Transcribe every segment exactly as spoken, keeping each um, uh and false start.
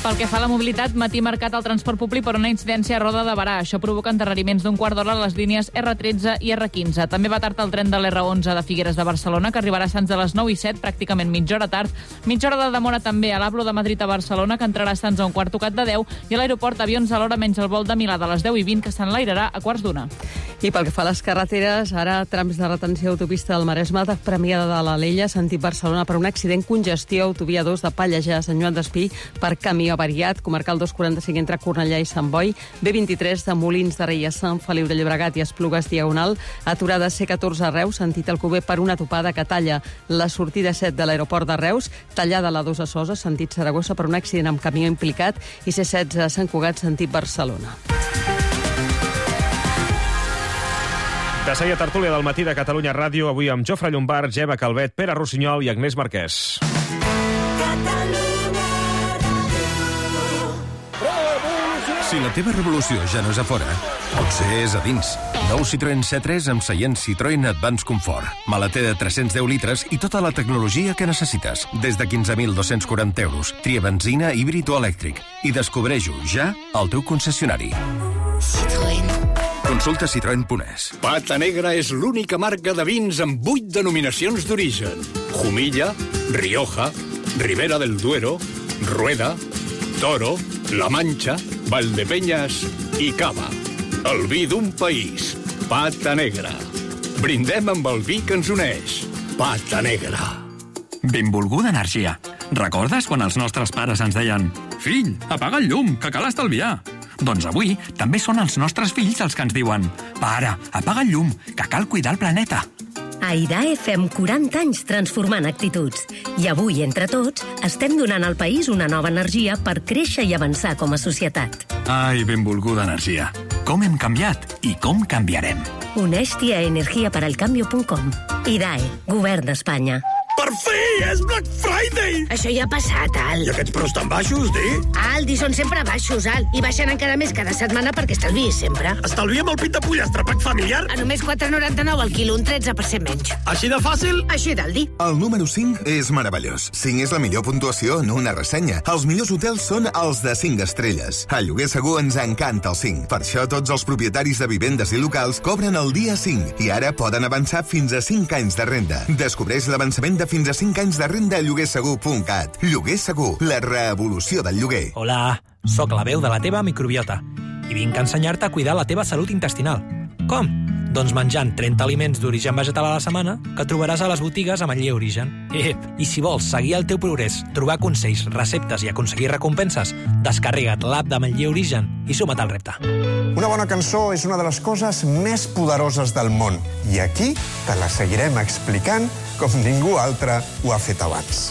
Pel que fa a la mobilitat, matí marcat al transport públic per una incidència a Roda de Berà. Això provoca endarreriments d'un quart d'hora a les línies erre tretze i erre quinze. També va tard el tren de l'erre onze de Figueres de Barcelona, que arribarà a Sants a les nou i set, pràcticament mitja hora tard. Mitja hora de demora també a l'Ablo de Madrid a Barcelona, que entrarà a Sants a un quart tocat de deu, i a l'aeroport avions a l'hora menys el vol de Milà de les deu i vint, que s'enlairarà a quarts d'una. I pel que fa a les carreteres, ara trams de retenció autopista del Maresme de Premià de l'Alella, sentit Barcelona, per un accident, congestió, autovia dos de Pallejà a Sant Joan d'Espí per camió avariat, comarcal dos quaranta-cinc entre Cornellà i Sant Boi, be vint-i-tres de Molins de Rei a Sant Feliu de Llobregat i Esplugues Diagonal, aturada ce catorze a Reus, sentit Alcover per una topada que talla la sortida set de l'aeroport de Reus, tallada la dos a Sosa, sentit Saragossa, per un accident amb camió implicat, i ce setze a Sant Cugat, sentit Barcelona. De seguida, tertúlia del matí de Catalunya Ràdio, avui amb Jofre Llombart, Gemma Calvet, Pere Rossinyol i Agnès Marquès. Si la teva revolució ja no és a fora, potser és a dins. Nou Citroën C tres amb seient Citroën Advance Comfort. Maleter de tres-cents deu litres i tota la tecnologia que necessites. Des de quinze mil dos-cents quaranta euros. Tria benzina, híbrid o elèctric. I descobreix-ho ja al teu concessionari. Citroën. Consulta citroen punt es. Pata Negra és l'única marca de vins amb vuit denominacions d'origen. Jumilla, Rioja, Ribera del Duero, Rueda, Toro, La Mancha, Valdepeñas i Cava. El vi d'un país. Pata Negra. Brindem amb el vi que ens uneix. Pata Negra. Benvolguda energia. Recordes quan els nostres pares ens deien «Fill, apaga el llum, que cal estalviar»? Doncs avui també són els nostres fills els que ens diuen «Pare, apaga el llum, que cal cuidar el planeta». A IDAE fem quaranta anys transformant actituds. I avui, entre tots, estem donant al país una nova energia per créixer i avançar com a societat. Ai, benvolguda energia. Com hem canviat i com canviarem. Uneix-t'hi a energia para el cambio punt com. IDAE, Govern d'Espanya. Per fi! És Black Friday! Això ja ha passat, Al. I aquests preus tan baixos, di? Aldi, són sempre baixos, Al. I baixen encara més cada setmana perquè estalviïs sempre. Estalviem el pit de pollastre, pack familiar? A només quatre noranta-nou al quilo, un tretze per cent menys. Així de fàcil? Així d'Aldi. El número cinc és meravellós. cinc és la millor puntuació en una ressenya. Els millors hotels són els de cinc estrelles. A Lloguer Segur ens encanta el cinc. Per això tots els propietaris de vivendes i locals cobren el dia cinc. I ara poden avançar fins a cinc anys de renda. Descobreix l'avançament de fins a cinc anys de renda a lloguer segur punt cat. Lloguer Segur, la revolució del lloguer. Hola, sóc la veu de la teva microbiota i vinc a ensenyar-te a cuidar la teva salut intestinal. Com? Doncs menjant trenta aliments d'origen vegetal a la setmana que trobaràs a les botigues amb el Ametller Origen. Ep, i si vols seguir el teu progrés, trobar consells, receptes i aconseguir recompenses, descarrega't l'app d'Ametller Origen i suma't al repte. Una bona cançó és una de les coses més poderoses del món. I aquí te la seguirem explicant com ningú altre ho ha fet abans.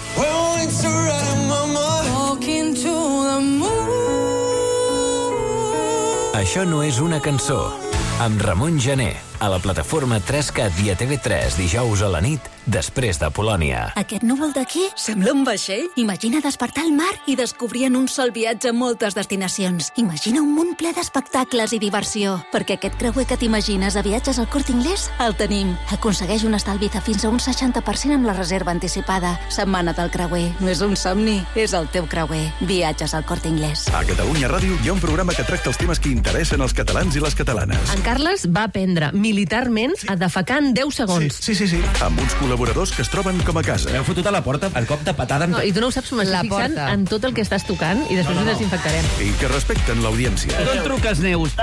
Això no és una cançó. Amb Ramon Gené, a la plataforma tres cat i a T V tres dijous a la nit, després de Polònia. Aquest núvol d'aquí sembla un vaixell. Imagina despertar al mar i descobrir en un sol viatge moltes destinacions. Imagina un món ple d'espectacles i diversió. Perquè aquest creuer que t'imagines a Viatges al Corte Inglés, el tenim. Aconsegueix un estalvi de fins a un seixanta per cent amb la reserva anticipada. Setmana del creuer. No és un somni, és el teu creuer. Viatges al Corte Inglés. A Catalunya Ràdio hi ha un programa que tracta els temes que interessen als catalans i les catalanes. En Carles va aprendre militarment a defecar en deu segons. Sí, sí, sí. sí. Amb uns col·laboradors que es troben com a casa. Heu fotut a la porta el cop de patada... En... No, I tu no ho saps, m'estic fixant en tot el que estàs tocant i després no, no, no. ho desinfectarem. I que respecten l'audiència. No et truques, Neus.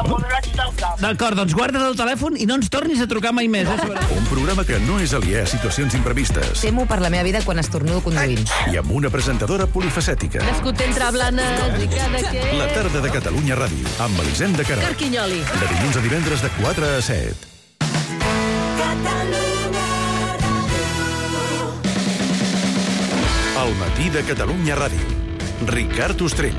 D'acord, doncs guarda't el telèfon i no ens tornis a trucar mai més. Eh? Un programa que no és aliè a situacions imprevistes. Temo per la meva vida quan estornudo conduint. I amb una presentadora polifacètica. Nascut entre blanes i cada que... La tarda de Catalunya Ràdio, amb Elisenda Queralt. Carquinyoli. De dilluns a divendres de quatre a set. El matí de Catalunya Ràdio. Ricard Ostrell.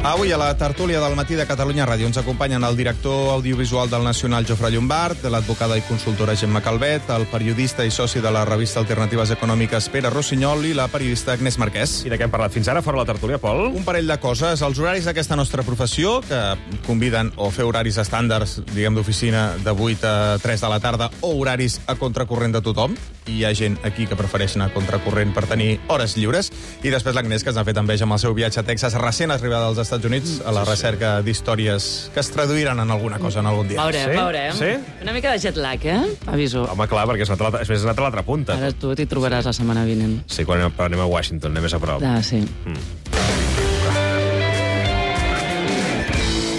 Avui a la tertúlia del matí de Catalunya Ràdio ens acompanyen el director audiovisual del Nacional, Jofre Llombart, l'advocada i consultora Gemma Calvet, el periodista i soci de la revista Alternatives Econòmiques, Pere Rossinyol, i la periodista Agnès Marquès. I de què hem parlat fins ara, fora la tertúlia, Pol? Un parell de coses. Els horaris d'aquesta nostra professió, que conviden o fer horaris estàndards, diguem, d'oficina de vuit a tres de la tarda, o horaris a contracorrent de tothom, i hi ha gent aquí que prefereix anar contracorrent per tenir hores lliures. I després l'Agnès, que ens ha fet enveja amb el seu viatge a Texas, recent arribada als Estats Units, a la recerca d'històries que es traduiran en alguna cosa en algun dia. Veurem, Sí? veurem. Sí? Una mica de jet lag, eh? Aviso. Home, clar, perquè has anat a l'altra- has anat a l'altra punta. Ara tu t'hi trobaràs la setmana vinent. Sí, quan anem, anem a Washington, anem més a prop. Ah, sí.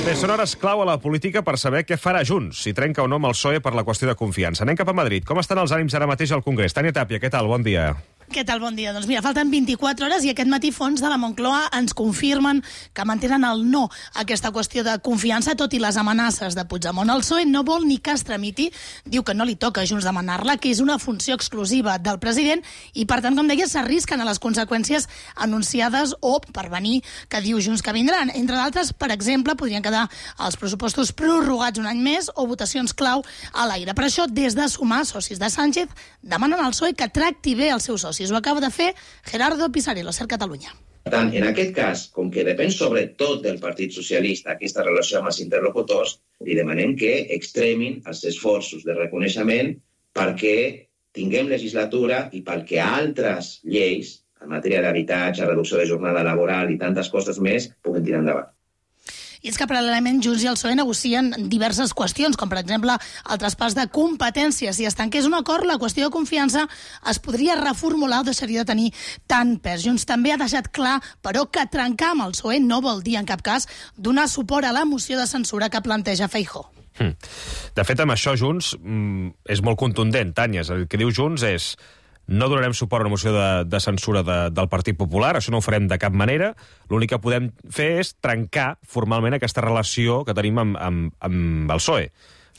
Bé, són hores clau a la política per saber què farà Junts, si trenca o no amb el P S O E per la qüestió de confiança. Anem cap a Madrid. Com estan els ànims ara mateix al Congrés? Tània Tàpia, què tal? Bon dia. Què tal? Bon dia. Doncs mira, falten vint-i-quatre hores i aquest matí fons de la Moncloa ens confirmen que mantenen el no a aquesta qüestió de confiança, tot i les amenaces de Puigdemont. El P S O E no vol ni que es tramiti, diu que no li toca a Junts demanar-la, que és una funció exclusiva del president i, per tant, com deia, s'arrisquen a les conseqüències anunciades o per venir, que diu Junts que vindran. Entre d'altres, per exemple, podrien quedar els pressupostos prorrogats un any més o votacions clau a l'aire. Per això, des de Sumar, socis de Sánchez, demanen al P S O E que tracti bé els seus socis. Ho acaba de fer Gerardo Pisarello, Ser Catalunya. Per tant, en aquest cas, com que depèn sobretot del Partit Socialista aquesta relació amb els interlocutors, li demanem que extremin els esforços de reconeixement perquè tinguem legislatura i perquè altres lleis, en matèria d'habitatge, reducció de jornada laboral i tantes coses més, puguin tirar endavant. I és que paral·lelament Junts i el P S O E negocien diverses qüestions, com per exemple el traspàs de competències. Si es tanqués un acord, la qüestió de confiança es podria reformular o deixaria de tenir tant pes. Junts també ha deixat clar, però, que trencar amb el P S O E no vol dir en cap cas donar suport a la moció de censura que planteja Feijóo. Hm. De fet, amb això Junts mm, és molt contundent, Tània. El que diu Junts és: no donarem suport a una moció de, de censura de, del Partit Popular, això no ho farem de cap manera. L'únic que podem fer és trencar formalment aquesta relació que tenim amb, amb, amb el P S O E.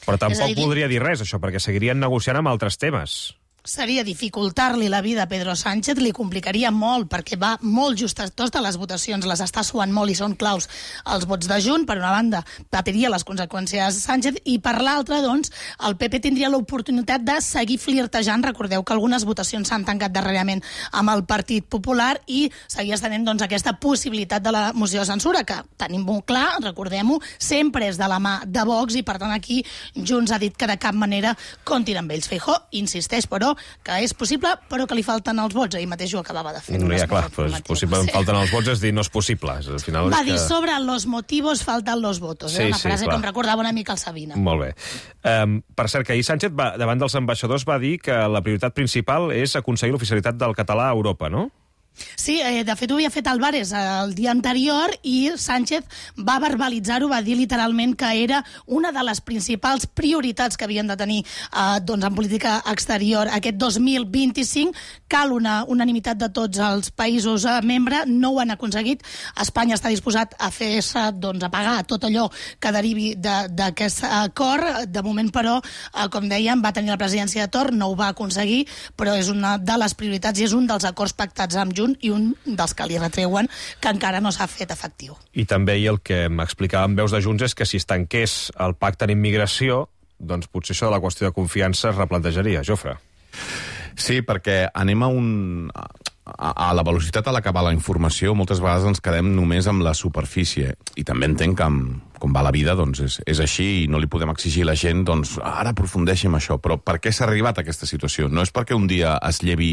Però tampoc voldria dir res, això, perquè seguirien negociant amb altres temes. Seria dificultar-li la vida a Pedro Sánchez, li complicaria molt, perquè va molt just a totes les votacions, les està suant molt i són claus els vots de Junts. Per una banda, patiria les conseqüències Sánchez, i per l'altra, doncs, el P P tindria l'oportunitat de seguir flirtejant. Recordeu que algunes votacions s'han tancat darrerament amb el Partit Popular i seguia tenint, doncs, aquesta possibilitat de la moció de censura, que tenim molt clar, recordem-ho, sempre és de la mà de Vox, i per tant aquí Junts ha dit que de cap manera comptin amb ells. Feijóo insisteix, però, que és possible, però que li falten els vots. Ahir mateix ho acabava de fer. No, ja, clar, però és possible, em falten els vots, és dir, no és possible. Al final Va és dir, que... sobre los motivos faltan los votos. Sí, eh? Una sí, frase clar. com recordava una mica el Sabina. Molt bé. Um, per cert, que ahir Sánchez, va, davant dels ambaixadors, va dir que la prioritat principal és aconseguir l'oficialitat del català a Europa, no? Sí, eh, de fet ho havia fet Álvarez el dia anterior i Sánchez va verbalitzar-ho, va dir literalment que era una de les principals prioritats que havien de tenir eh, doncs en política exterior aquest dos mil vint-i-cinc. Cal una unanimitat de tots els països eh, membres, no ho han aconseguit. Espanya està disposat a fer-se, doncs, a pagar tot allò que derivi d'aquest acord. De moment, però, eh, com dèiem, va tenir la presidència de torn, no ho va aconseguir, però és una de les prioritats i és un dels acords pactats amb Junts i un dels que li retreuen que encara no s'ha fet efectiu. I també el que m'explicaven veus de Junts és que si es tanqués el pacte en immigració, doncs potser això de la qüestió de confiança es replantejaria. Jofre. Sí, perquè anem a un... A, a la velocitat a la que va la informació, moltes vegades ens quedem només amb la superfície. I també entenc que, amb, com va la vida, doncs és, és així i no li podem exigir a la gent, doncs ara aprofundeixi en això. Però per què s'ha arribat a aquesta situació? No és perquè un dia es llevi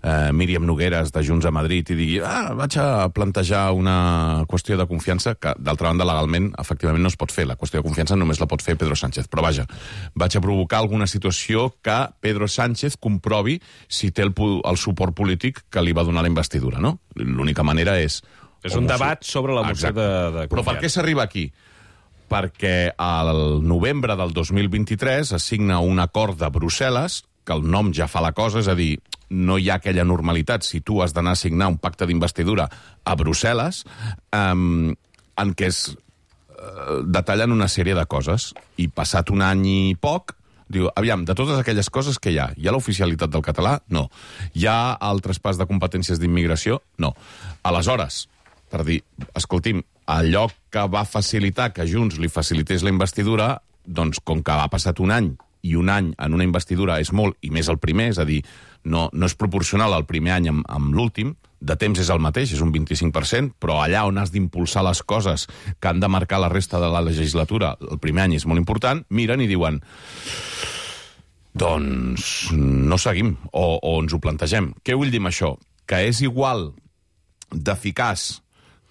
eh, Míriam Nogueras de Junts a Madrid i digui ah, vaig a plantejar una qüestió de confiança que, d'altra banda, legalment, efectivament no es pot fer. La qüestió de confiança només la pot fer Pedro Sánchez. Però vaja, vaig a provocar alguna situació que Pedro Sánchez comprovi si té el, el suport polític que li va donar la investidura, no? L'única manera és... És un debat sobre la moció de, de confiança. Però per què s'arriba aquí? Perquè al novembre del dos mil vint-i-tres es signa un acord de Brussel·les, que el nom ja fa la cosa, és a dir, no hi ha aquella normalitat si tu has d'anar a signar un pacte d'investidura a Brussel·les, um, en què es uh, detallen una sèrie de coses. I passat un any i poc, diu, aviam, de totes aquelles coses que hi ha, hi ha l'oficialitat del català? No. Hi ha el traspàs de competències d'immigració? No. Aleshores, per dir, escolti'm, allò que va facilitar que Junts li facilités la investidura, doncs com que ha passat un any i un any en una investidura és molt, i més el primer, és a dir, no, no és proporcional el primer any amb, amb l'últim, de temps és el mateix, és un vint-i-cinc per cent, però allà on has d'impulsar les coses que han de marcar la resta de la legislatura, el primer any és molt important, miren i diuen doncs no seguim, o, o ens ho plantegem. Què vull dir amb això? Que és igual d'eficaç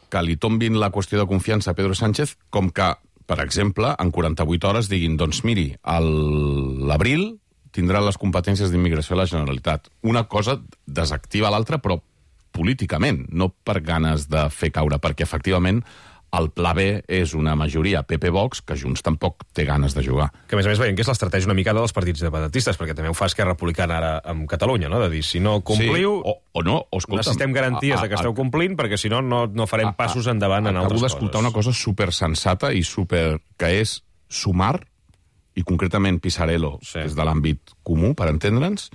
que li tombin la qüestió de confiança a Pedro Sánchez com que, per exemple, en quaranta-vuit hores diguin, doncs miri, a l'abril tindrà les competències d'immigració a la Generalitat. Una cosa desactiva l'altra, però políticament, no per ganes de fer caure, perquè efectivament el pla B és una majoria P P-Vox que Junts tampoc té ganes de jugar. Que a més a més veiem que és l'estratègia una mica dels partits independentistes, perquè també ho fa Esquerra Republicana ara amb Catalunya, no? De dir, si no compliu, sí, o, o no, o escolta'm, necessitem garanties a, a, de que esteu complint, perquè si no, no, no farem a, passos endavant a, en altres coses. Acabo d'escoltar una cosa supersensata i super... que és sumar, i concretament Pisarello, sí. que és de l'àmbit comú, per entendre'ns,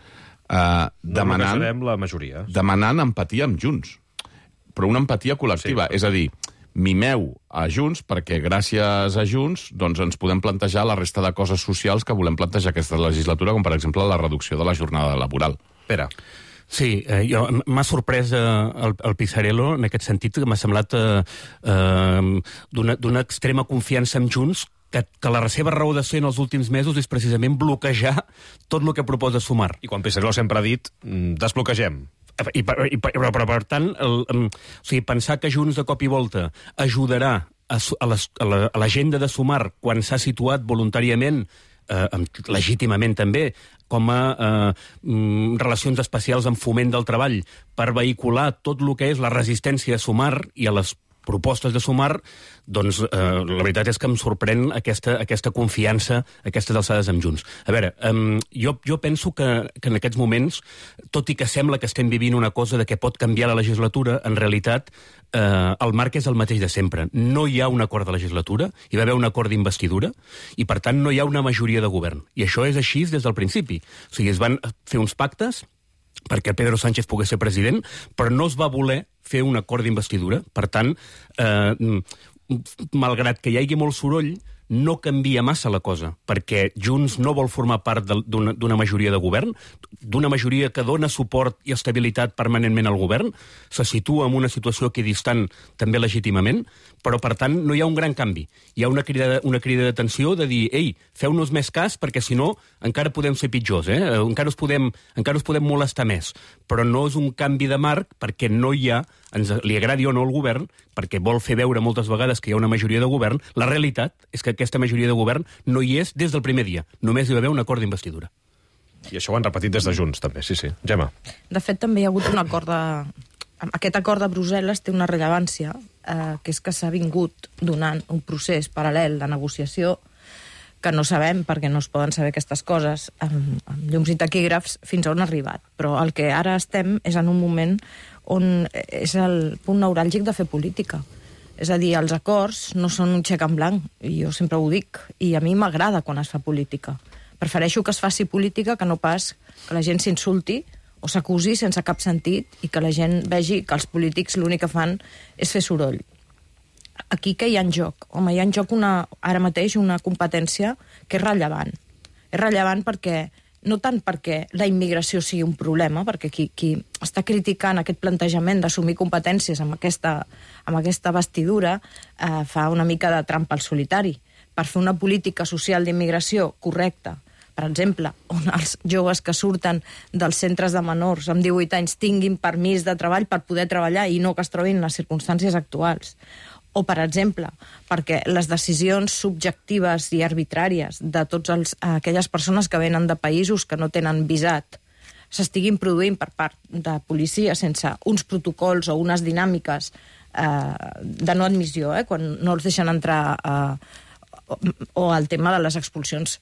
eh, demanant, no la majoria. demanant empatia amb Junts. Però una empatia col·lectiva, sí, és a dir, mimeu a Junts perquè gràcies a Junts doncs, ens podem plantejar la resta de coses socials que volem plantejar aquesta legislatura, com per exemple la reducció de la jornada laboral. Pere. Sí, eh, jo, m'ha sorprès eh, el, el Pisarello en aquest sentit, que m'ha semblat eh, eh, d'una extrema confiança en Junts, que, que la seva raó de ser en els últims mesos és precisament bloquejar tot el que proposa Sumar. I quan Pisarello sempre ha dit, desbloquegem. I, per, i per, però, però, per tant, el, um, o sigui, pensar que Junts de cop i volta ajudarà a, a, les, a l'agenda de Sumar quan s'ha situat voluntàriament, eh, legítimament també, com a eh, relacions especials en foment del treball, per vehicular tot el que és la resistència a Sumar i a les propostes de Sumar, doncs eh, la veritat és que em sorprèn aquesta, aquesta confiança, aquestes alçades amb Junts. A veure, eh, jo, jo penso que, que en aquests moments, tot i que sembla que estem vivint una cosa de que pot canviar la legislatura, en realitat eh, el marc és el mateix de sempre. No hi ha un acord de legislatura, hi va haver un acord d'investidura, i per tant no hi ha una majoria de govern. I això és així des del principi. O sigui, es van fer uns pactes perquè Pedro Sánchez pogués ser president, però no es va voler fer un acord d'investidura. Per tant, eh, malgrat que hi hagi molt soroll, no canvia massa la cosa, perquè Junts no vol formar part d'una majoria de govern, d'una majoria que dona suport i estabilitat permanentment al govern, se situa en una situació equidistant també legítimament, però per tant no hi ha un gran canvi. Hi ha una crida, una crida d'atenció de dir, ei, feu-nos més cas perquè si no encara podem ser pitjors, eh? encara, us podem, encara us podem molestar més, però no és un canvi de marc perquè no hi ha, ens, li agradi o no el govern, perquè vol fer veure moltes vegades que hi ha una majoria de govern, la realitat és que aquesta majoria de govern no hi és des del primer dia. Només hi va haver un acord d'investidura. I això ho han repetit des de Junts, també, sí, sí. Gemma. De fet, també hi ha hagut un acord de... Aquest acord de Brussel·les té una rellevància, eh, que és que s'ha vingut donant un procés paral·lel de negociació que no sabem, perquè no es poden saber aquestes coses, amb, amb llums i taquígrafs, fins on ha arribat. Però el que ara estem és en un moment on és el punt neuràlgic de fer política. És a dir, els acords no són un xec en blanc, i jo sempre ho dic, i a mi m'agrada quan es fa política. Prefereixo que es faci política que no pas que la gent s'insulti o s'acusi sense cap sentit i que la gent vegi que els polítics l'únic que fan és fer soroll. Aquí què hi ha en joc? Home, hi ha en joc una, ara mateix una competència que és rellevant. És rellevant perquè no tant perquè la immigració sigui un problema, perquè qui, qui està criticant aquest plantejament d'assumir competències amb aquesta, amb aquesta vestidura eh, fa una mica de trampa al solitari. Per fer una política social d'immigració correcta, per exemple, on els joves que surten dels centres de menors amb divuit anys tinguin permís de treball per poder treballar i no que es trobin en les circumstàncies actuals. O, per exemple, perquè les decisions subjectives i arbitràries de totes aquelles persones que venen de països que no tenen visat s'estiguin produint per part de policia sense uns protocols o unes dinàmiques eh, de no admissió, eh, quan no els deixen entrar, eh, o, o el tema de les expulsions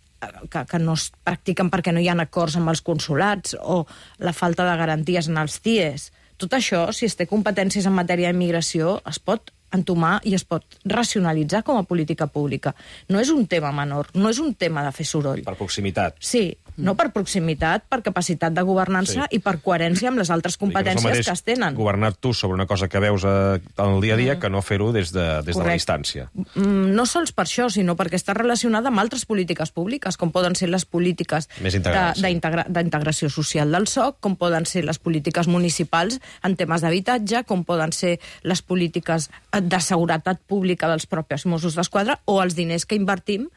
que, que no es practiquen perquè no hi ha acords amb els consulats, o la falta de garanties en els C I Es. Tot això, si es té competències en matèria d'immigració, es pot entomar i es pot racionalitzar com a política pública. No és un tema menor, no és un tema de fer soroll. Per proximitat. Sí, no per proximitat, per capacitat de governança sí. i per coherència amb les altres competències que es tenen. Governar tu sobre una cosa que veus al dia a dia mm. que no fer-ho des, de, des de la distància. Mm, no sols per això, sinó perquè està relacionada amb altres polítiques públiques, com poden ser les polítiques d'integració social del S O C, com poden ser les polítiques municipals en temes d'habitatge, com poden ser les polítiques de seguretat pública dels propis Mossos d'Esquadra o els diners que invertim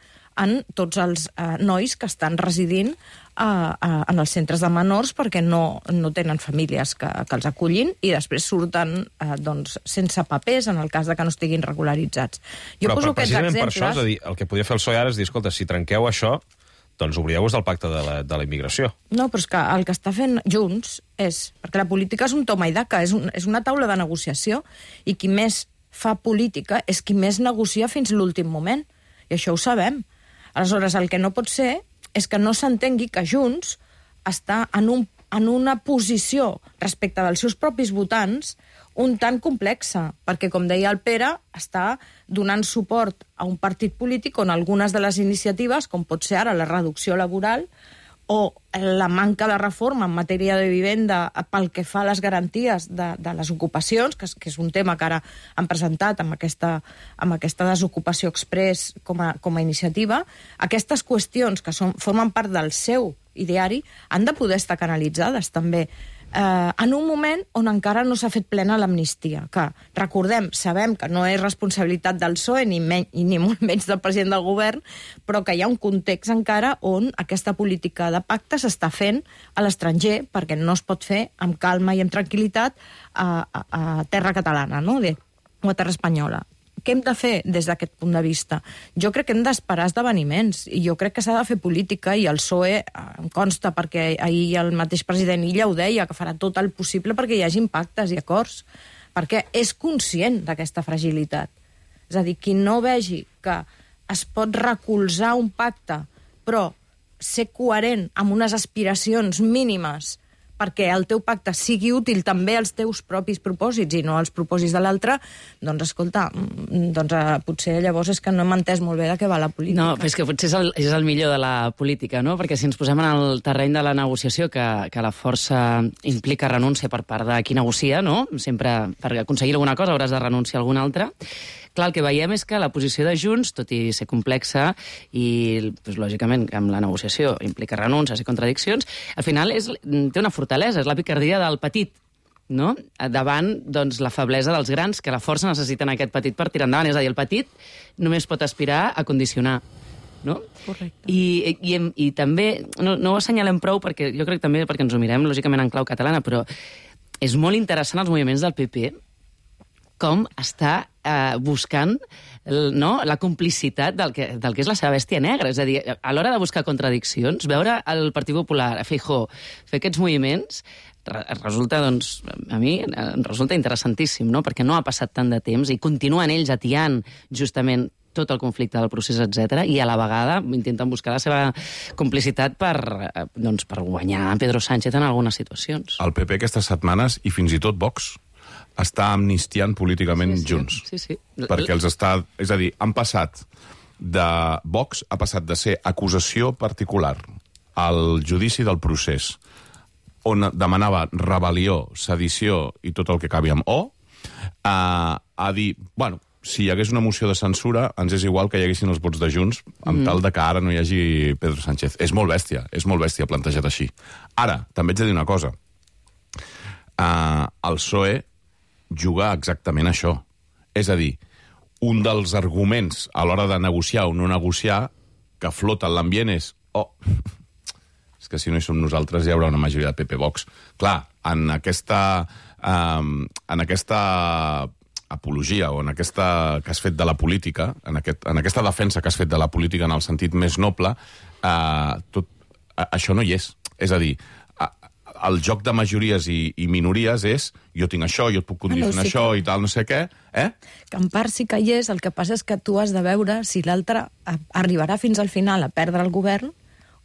en tots els eh, nois que estan residint eh, eh, en els centres de menors perquè no, no tenen famílies que, que els acullin i després surten eh, doncs, sense papers en el cas de que no estiguin regularitzats. Jo però, poso però aquests precisament exemples... per això, és a dir, el que podria fer el P S O E ara és dir, escolta, si trenqueu això, doncs obrieu-vos del pacte de la, de la immigració. No, però és que el que està fent Junts és... Perquè la política és un toma i daca, és, un, és una taula de negociació, i qui més fa política és qui més negocia fins l'últim moment. I això ho sabem. Aleshores, el que no pot ser és que no s'entengui que Junts està en, un, en una posició respecte dels seus propis votants un tant complexa, perquè, com deia el Pere, està donant suport a un partit polític on algunes de les iniciatives, com pot ser ara la reducció laboral o la manca de reforma en matèria de vivenda pel que fa a les garanties de, de les ocupacions, que és, que és un tema que ara han presentat amb aquesta, amb aquesta desocupació express com a, com a iniciativa, aquestes qüestions que són, formen part del seu ideari han de poder estar canalitzades també eh, en un moment on encara no s'ha fet plena l'amnistia, que, recordem, sabem que no és responsabilitat del P S O E ni, men i ni molt menys del president del govern, però que hi ha un context encara on aquesta política de pacte s'està fent a l'estranger, perquè no es pot fer amb calma i amb tranquil·litat a, a, a terra catalana, no? De, o a terra espanyola. Què hem de fer des d'aquest punt de vista? Jo crec que hem d'esperar esdeveniments i jo crec que s'ha de fer política i el P S O E em consta perquè ahir el mateix president Illa ho deia, que farà tot el possible perquè hi hagi pactes i acords, perquè és conscient d'aquesta fragilitat. És a dir, qui no vegi que es pot recolzar un pacte però ser coherent amb unes aspiracions mínimes perquè el teu pacte sigui útil també als teus propis propòsits i no als propòsits de l'altre, doncs, escolta, doncs, eh, potser llavors és que no hem entès molt bé de què va la política. No, però és que potser és el, és el millor de la política, no? Perquè si ens posem en el terreny de la negociació, que, que la força implica renúncia per part de qui negocia, no? Sempre per aconseguir alguna cosa hauràs de renunciar a alguna altra. Clar, el que veiem és que la posició de Junts, tot i ser complexa i, doncs, lògicament, amb la negociació implica renúncies i contradiccions, al final és, té una fortalesa, és la picardia del petit, no? Davant, doncs, la feblesa dels grans, que la força necessiten aquest petit per tirar endavant. És a dir, el petit només pot aspirar a condicionar, no? Correcte. I, i, i també, no, no ho assenyalem prou, perquè jo crec també perquè ens ho mirem, lògicament, en clau catalana, però és molt interessant els moviments del P P, com està eh, buscant el, no, la complicitat del que, del que és la seva bèstia negra. És a dir, a l'hora de buscar contradiccions, veure el Partit Popular, a Feijóo, fer aquests moviments, resulta, doncs, a mi em resulta interessantíssim, no? Perquè no ha passat tant de temps i continuen ells atiant justament tot el conflicte del procés, etcètera, i a la vegada intenten buscar la seva complicitat per, doncs, per guanyar Pedro Sánchez en algunes situacions. El P P aquestes setmanes, i fins i tot Vox, està amnistiant políticament sí, sí. Junts. Sí, sí. Perquè els està... És a dir, han passat de... Vox ha passat de ser acusació particular al judici del procés, on demanava rebel·lió, sedició i tot el que acabi amb O, a, a dir, bueno, si hi hagués una moció de censura, ens és igual que hi haguessin els vots de Junts, amb mm. tal de que ara no hi hagi Pedro Sánchez. És molt bèstia, és molt bèstia plantejat així. Ara, també haig de dir una cosa. Uh, el P S O E jugar exactament això. És a dir, un dels arguments a l'hora de negociar o no negociar que flota en l'ambient és oh, és que si no hi som nosaltres hi haurà una majoria de P P Vox. Clar, en aquesta um, en aquesta apologia o en aquesta que has fet de la política, en, aquest, en aquesta defensa que has fet de la política en el sentit més noble, uh, tot, uh, això no hi és. És a dir, el joc de majories i, i minories és jo tinc això, jo et puc condicionar no, sí això que... i tal, no sé què. Eh? Que en part sí que hi és, el que passa és que tu has de veure si l'altre arribarà fins al final a perdre el govern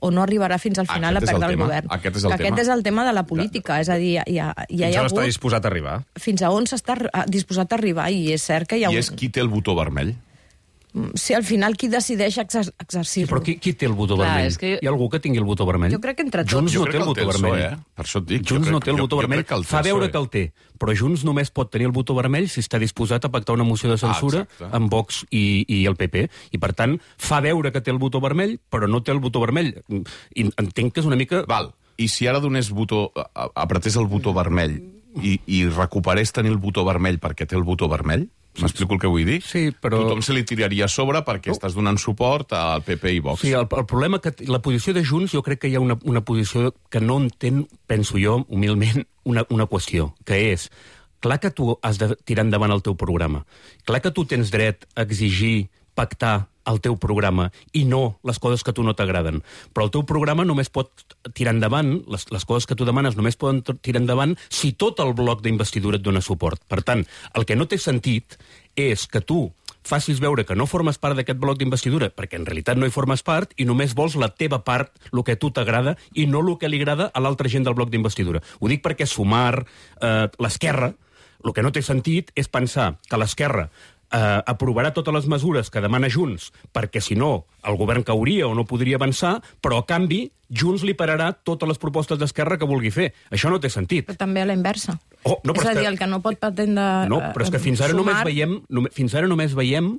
o no arribarà fins al final aquest a perdre el, el govern. Aquest és el que tema. Aquest és el tema de la política, és a dir, hi ha, hi ha, hi ha hagut... està disposat a arribar. Fins a on s'està disposat a arribar, i és cert que hi ha I un... és qui té el botó vermell. Si al final qui decideix exer exercir-lo. Sí, però qui, qui té el botó Clar, vermell? és que... Hi ha algú que tingui el botó vermell? Jo crec que entre tots... Junts no Jo té el botó vermell. Eh? Per això et dic. Junts crec, no té el botó jo, vermell. Jo el Fa veure que el té. Però Junts només pot tenir el botó vermell si està disposat a pactar una moció de censura ah, amb Vox i, i el P P. I, per tant, fa veure que té el botó vermell, però no té el botó vermell. I entenc que és una mica... Val. I si ara donés botó, apretés el botó vermell i, i recuperés tenir el botó vermell perquè té el botó vermell, M'explico el que vull dir? Sí, però... Tothom se li tiraria a sobre perquè estàs donant suport al P P i Vox. Sí, el, el problema que la posició de Junts, jo crec que hi ha una, una posició que no entén, penso jo, humilment, una, una qüestió, que és, clar que tu has de tirar endavant el teu programa, clar que tu tens dret a exigir, pactar el teu programa i no les coses que a tu no t'agraden. Però el teu programa només pot tirar endavant, les, les coses que tu demanes només poden tirar endavant si tot el bloc d'investidura et dona suport. Per tant, el que no té sentit és que tu facis veure que no formes part d'aquest bloc d'investidura, perquè en realitat no hi formes part i només vols la teva part, el que a tu t'agrada, i no el que li agrada a l'altra gent del bloc d'investidura. Ho dic perquè Sumar, eh, l'esquerra, el que no té sentit és pensar que l'esquerra Uh, aprovarà totes les mesures que demana Junts, perquè si no el govern cauria o no podria avançar, però a canvi Junts li pararà totes les propostes d'Esquerra que vulgui fer. Això no té sentit. Però també a la inversa. Oh, no, és a que... dir, el que no pot pretendre... No, però és que fins ara, sumar... només veiem, només, fins ara només veiem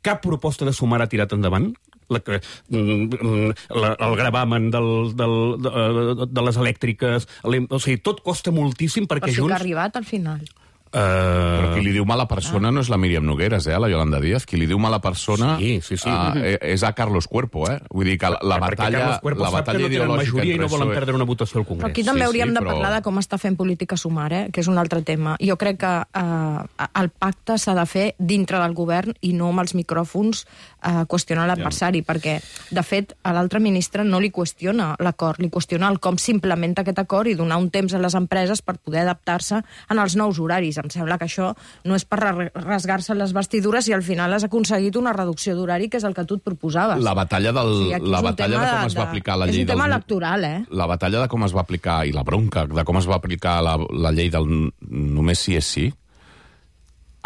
cap proposta de Sumar ha tirat endavant. La, la, el gravamen del, del, de, de les elèctriques, o sigui, tot costa moltíssim perquè Junts... Junts... Però sí que ha arribat al final. Uh... Però qui li diu mala persona ah. no és la Míriam Nogueras, eh, la Yolanda Díaz. Qui li diu mala persona sí, sí, sí. Uh, és a Carlos Cuerpo, eh? Vull dir que la, la batalla, la batalla ideològica i no volen perdre una votació al Congrés. Però aquí també sí, hauríem sí, de però... parlar de com està fent política Sumar, eh? Que és un altre tema. Jo crec que uh, el pacte s'ha de fer dintre del govern i no amb els micròfons uh, qüestionar l'adversari, ja. Perquè, de fet, a l'altre ministre no li qüestiona l'acord, li qüestiona el com s'implementa aquest acord i donar un temps a les empreses per poder adaptar-se en els nous horaris. Em sembla que això no és per rasgar-se les vestidures i al final has aconseguit una reducció d'horari, que és el que tu et proposaves. La batalla, del, sí, la batalla de com es va aplicar la llei del... És un tema electoral, eh? La batalla de com es va aplicar, i la bronca de com es va aplicar la, la llei del només sí és sí,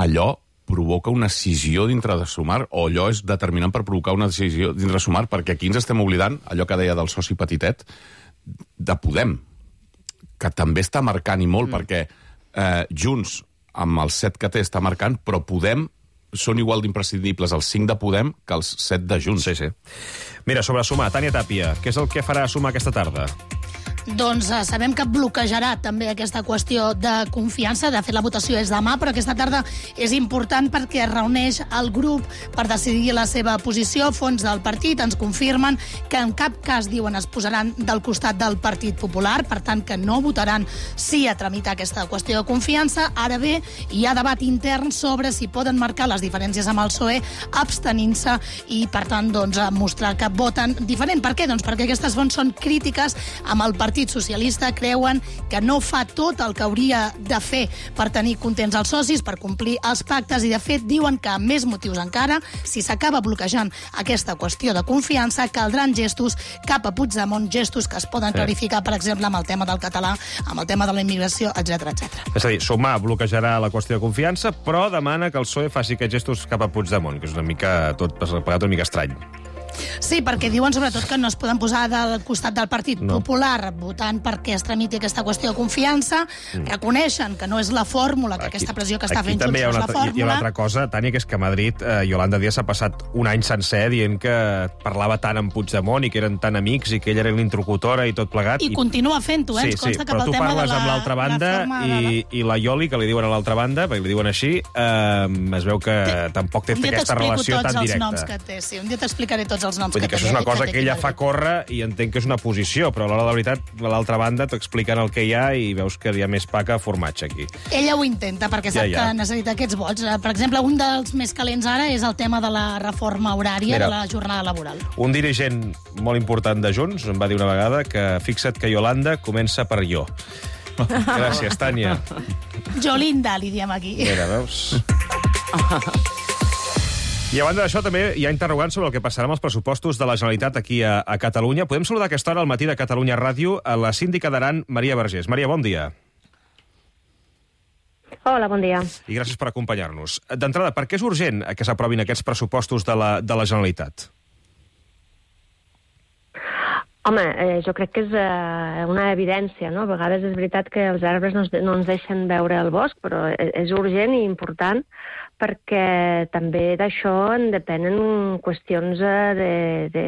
allò provoca una escissió dintre de Sumar, o allò és determinant per provocar una decisió dintre de Sumar, perquè aquí ens estem oblidant, allò que deia del soci petitet, de Podem, que també està marcant i molt, mm. perquè eh, Junts amb els set que té està marcant, però Podem són igual d'imprescindibles els cinc de Podem que els set de Junts. Sí, sí. Mira, sobre Sumar, Tània Tàpia, què és el que farà Sumar aquesta tarda? Doncs eh, sabem que bloquejarà també aquesta qüestió de confiança. De fet, la votació és demà, però aquesta tarda és important perquè es reuneix el grup per decidir la seva posició. Fons del partit ens confirmen que en cap cas, diuen, es posaran del costat del Partit Popular, per tant que no votaran sí a tramitar aquesta qüestió de confiança. Ara bé, hi ha debat intern sobre si poden marcar les diferències amb el P S O E abstenint-se i, per tant, doncs, mostrar que voten diferent. Per què? Doncs perquè aquestes fonts són crítiques amb el Partit Partit Socialista, creuen que no fa tot el que hauria de fer per tenir contents els socis, per complir els pactes, i de fet diuen que, amb més motius encara, si s'acaba bloquejant aquesta qüestió de confiança, caldran gestos cap a Puigdemont, gestos que es poden clarificar, per exemple, amb el tema del català, amb el tema de la immigració, etcètera, etcètera. És a dir, Sumar bloquejarà la qüestió de confiança, però demana que el P S O E faci aquests gestos cap a Puigdemont, que és una mica tot plegat una mica estrany. Sí, perquè diuen sobretot que no es poden posar del costat del Partit no. Popular votant perquè es tramiti aquesta qüestió de confiança, mm. reconeixen que no és la fórmula, que aquí, aquesta pressió que està fent Junts no és la fórmula. Hi ha una altra cosa, Tània, que és que a Madrid eh, Yolanda Díaz s'ha passat un any sencer dient que parlava tant amb Puigdemont i que eren tan amics i que ella era l'interlocutora i tot plegat. I, i continua fent-ho, eh? Sí, Ens consta sí, que pel tema de la... però tu parles amb l'altra banda i, i la Ioli, que li diuen a l'altra banda, perquè li diuen així, eh, es veu que té, tampoc té aquesta relació tan directa. Un dia t'explico tots els noms que té, sí. Un dia t'explicaré tots els noms Vull que té. Això és una cosa que ella fa córrer i entenc que és una posició, però a l'hora de la veritat, a l'altra banda t'expliquen el que hi ha i veus que hi ha més pa que formatge aquí. Ella ho intenta, perquè sap ja, ja. que necessita aquests vots. Per exemple, un dels més calents ara és el tema de la reforma horària Mira, de la jornada laboral. Un dirigent molt important de Junts em va dir una vegada que fixa't que Yolanda comença per jo. Gràcies, Tània. Jolinda, li diem aquí. Mira, veus? I a banda d'això, també hi ha interrogants sobre el que passarà amb els pressupostos de la Generalitat aquí a, a Catalunya. Podem saludar a aquesta hora al matí de Catalunya Ràdio a la síndica d'Aran, Maria Vergés. Maria, bon dia. Hola, bon dia. I gràcies per acompanyar-nos. D'entrada, per què és urgent que s'aprovin aquests pressupostos de la, de la Generalitat? Home, eh, jo crec que és eh, una evidència, no? A vegades és veritat que els arbres no, no ens deixen veure el bosc, però és urgent i important perquè també d'això en depenen qüestions de, de,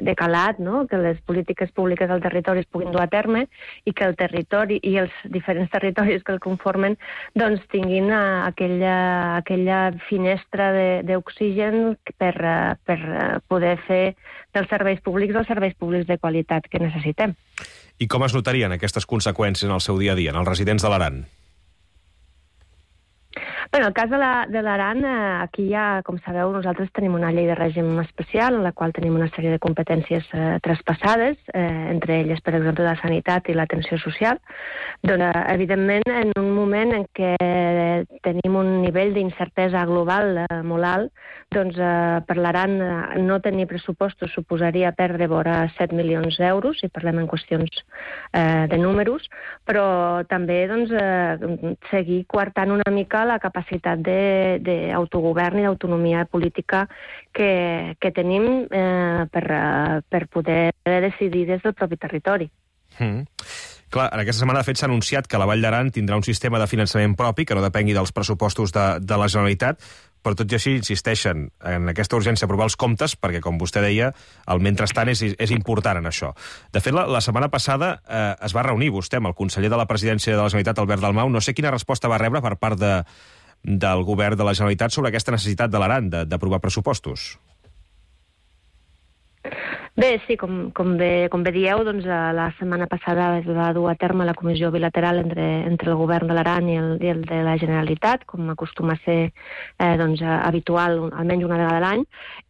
de calat, no? Que les polítiques públiques del territori es puguin dur a terme i que el territori i els diferents territoris que el conformen doncs tinguin aquella, aquella finestra d'oxigen per, per poder fer dels serveis públics els serveis públics de qualitat que necessitem. I com es notarien aquestes conseqüències en el seu dia a dia, en els residents de l'Aran? Bé, en el cas de l'Aran, aquí ja, com sabeu, nosaltres tenim una llei de règim especial en la qual tenim una sèrie de competències eh, traspassades, eh, entre elles, per exemple, la sanitat i l'atenció social. Doncs, eh, evidentment, en un moment en què tenim un nivell d'incertesa global eh, molt alt, doncs eh, per l'Aran eh, no tenir pressupostos suposaria perdre vora set milions d'euros, si parlem en qüestions eh, de números, però també doncs, eh, seguir coartant una mica la capacitat d'autogovern i d'autonomia política que, que tenim eh, per, per poder decidir des del propi territori. Mm. Clar, en aquesta setmana, de fet, s'ha anunciat que la Vall d'Aran tindrà un sistema de finançament propi que no depengui dels pressupostos de, de la Generalitat, però tot i així insisteixen en aquesta urgència aprovar els comptes, perquè, com vostè deia, el mentrestant és, és important en això. De fet, la, la setmana passada eh, es va reunir vostè amb el conseller de la Presidència de la Generalitat, Albert Dalmau. No sé quina resposta va rebre per part de, del govern de la Generalitat sobre aquesta necessitat de l'Aran d'aprovar pressupostos. Bé, sí, com, com, bé, com bé dieu, doncs, la setmana passada es va dur a terme la comissió bilateral entre, entre el govern de l'Aran i, el, i el de la Generalitat, com acostuma a ser eh, doncs, habitual almenys una vegada a l'any.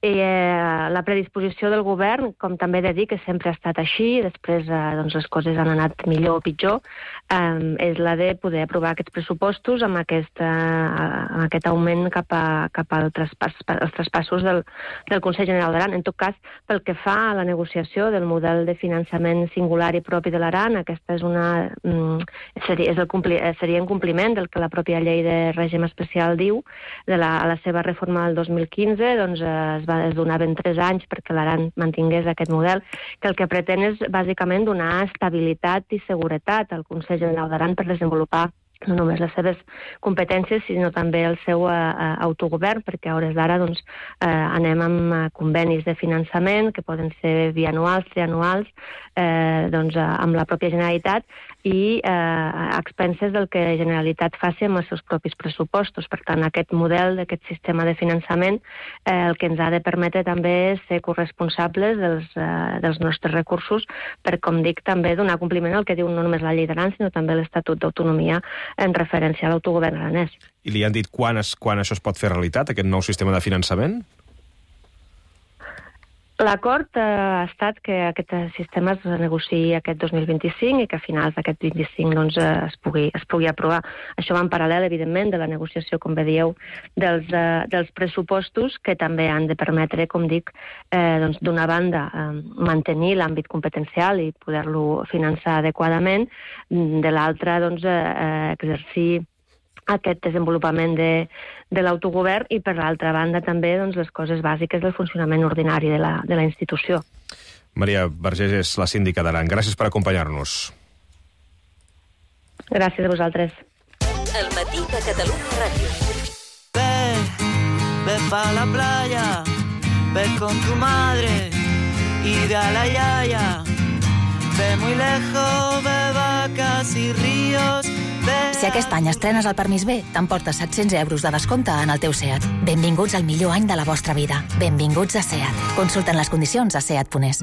I eh, la predisposició del govern, com també he de dir que sempre ha estat així, després eh, doncs, les coses han anat millor o pitjor, eh, és la de poder aprovar aquests pressupostos amb aquest, eh, amb aquest augment cap, a, cap al traspàs, als traspassos del, del Consell General d'Aran. En tot cas, pel que fa a la negociació del model de finançament singular i propi de l'Aran, aquesta és una, seria, és el compli, seria en compliment del que la pròpia llei de règim especial diu. De la, a la seva reforma del dos mil quinze doncs, es, va, es donaven tres anys perquè l'Aran mantingués aquest model, que el que pretén és bàsicament donar estabilitat i seguretat al Consell General d'Aran per desenvolupar no només les seves competències, sinó també el seu eh, autogovern, perquè a hores d'ara doncs, eh, anem amb eh, convenis de finançament que poden ser bianuals, trianuals, eh, doncs, eh, amb la pròpia Generalitat i eh, a expenses del que la Generalitat faci amb els seus propis pressupostos. Per tant, aquest model, aquest sistema de finançament, eh, el que ens ha de permetre també és ser corresponsables dels, eh, dels nostres recursos per, com dic, també donar compliment al que diu no només la llei d'Aran, sinó també l'Estatut d'Autonomia en referència a l'autogovern aranès. I li han dit quan, es, quan això es pot fer realitat, aquest nou sistema de finançament? L'acord eh, ha estat que aquest sistema es negociï aquest dos mil vint-i-cinc i que a finals d'aquest vint-i-cinc doncs, es, pugui, es pugui aprovar. Això va en paral·lel, evidentment, de la negociació, com bé dieu, dels, eh, dels pressupostos que també han de permetre, com dic, eh, doncs, d'una banda, eh, mantenir l'àmbit competencial i poder-lo finançar adequadament, de l'altra, doncs, eh, exercir aquest desenvolupament de, de l'autogovern i, per l'altra banda, també doncs, les coses bàsiques del funcionament ordinari de la, de la institució. Maria Vergés és la síndica d'Aran. Gràcies per acompanyar-nos. Gràcies a vosaltres. El matí de Catalunya Ràdio. Ve, ve pa la playa, ve con tu madre y ve a la yaya. Ve muy lejos, ve vacas y ríos. Si aquest any estrenes el permís B, t'emportes set-cents euros de descompte en el teu SEAT. Benvinguts al millor any de la vostra vida. Benvinguts a SEAT. Consulten les condicions a seat punt es.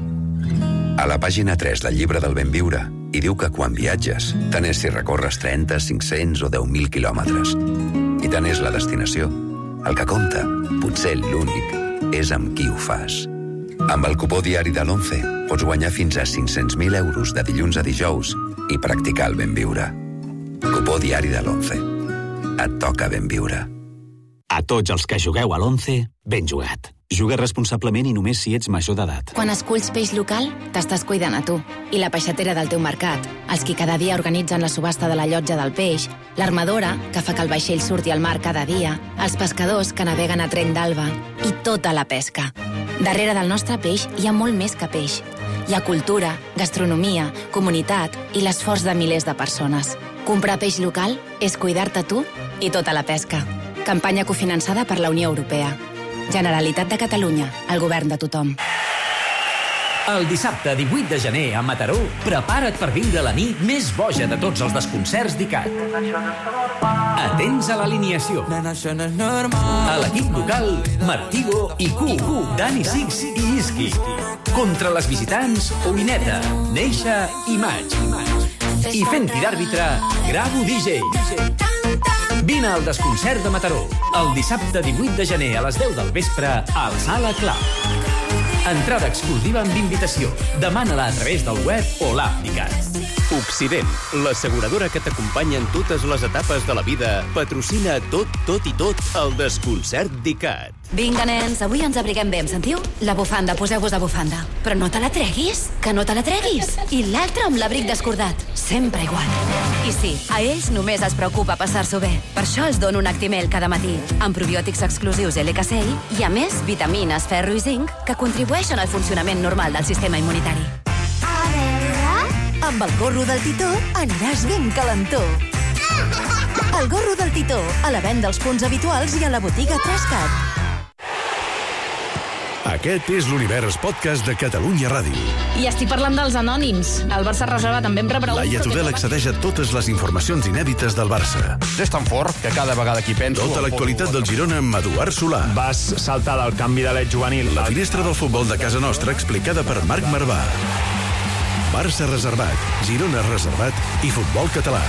A la pàgina tres del llibre del Benviure hi diu que quan viatges, tant és si recorres trenta, cinc-cents o deu mil quilòmetres. I tant és la destinació. El que compta, potser l'únic, és amb qui ho fas. Amb el cupó diari de l'Once pots guanyar fins a cinc-cents mil euros de dilluns a dijous i practicar el Benviure. Cupó diari de l'Once. Et toca ben viure. A tots els que jugueu a l'Once, ben jugat. Juga responsablement i només si ets major d'edat. Quan esculls peix local, t'estàs cuidant a tu. I la peixatera del teu mercat, els qui cada dia organitzen la subhasta de la llotja del peix, l'armadora, que fa que el vaixell surti al mar cada dia, els pescadors que naveguen a tren d'alba i tota la pesca. Darrere del nostre peix hi ha molt més que peix. Hi ha cultura, gastronomia, comunitat i l'esforç de milers de persones. Comprar peix local és cuidar-te tu i tota la pesca. Campanya cofinançada per la Unió Europea. Generalitat de Catalunya, el govern de tothom. El dissabte divuit de gener a Mataró, prepara't per viure la nit més boja de tots els desconcerts d'I C A T. Atents a l'alineació. A l'equip local, Martigo i Q, Dani Six i Iski. Contra les visitants, Oineta, Neixa i Maig. I fent-hi d'àrbitre, Gravo D J. Vine al desconcert de Mataró, el dissabte divuit de gener a les deu del vespre al Sala Club. Entrada exclusiva amb invitació. Demana-la a través del web o l'app d'I C A T. Occident, l'asseguradora que t'acompanya en totes les etapes de la vida, patrocina tot, tot i tot el desconcert d'I C A T. Vinga, nens, avui ens abriguem bé, em sentiu? La bufanda, poseu-vos de bufanda. Però no te la treguis, que no te la treguis. I l'altre amb l'abric descordat. Sempre igual. I sí, a ells només es preocupa passar-s'ho bé. Per això els dono un Actimel cada matí, amb probiòtics exclusius L K C I i, a més, vitamines, ferro i zinc, que contribueixen al funcionament normal del sistema immunitari. A veure... Amb el gorro del Titó aniràs ben calentó. El gorro del Titó, a la venda als punts habituals i a la botiga Trascat. Aquest és l'Univers Podcast de Catalunya Ràdio. I estic parlant dels anònims. El Barça reserva també em prepara... Laia Tudel accedeix a totes les informacions inèdites del Barça. És tan fort que cada vegada que hi penso... Tota l'actualitat del Girona amb Eduard Solà. Vas saltar del canvi de l'Ed juvenil. La finestra del futbol de casa nostra explicada per Marc Marvà. Barça reservat, Girona reservat i futbol català.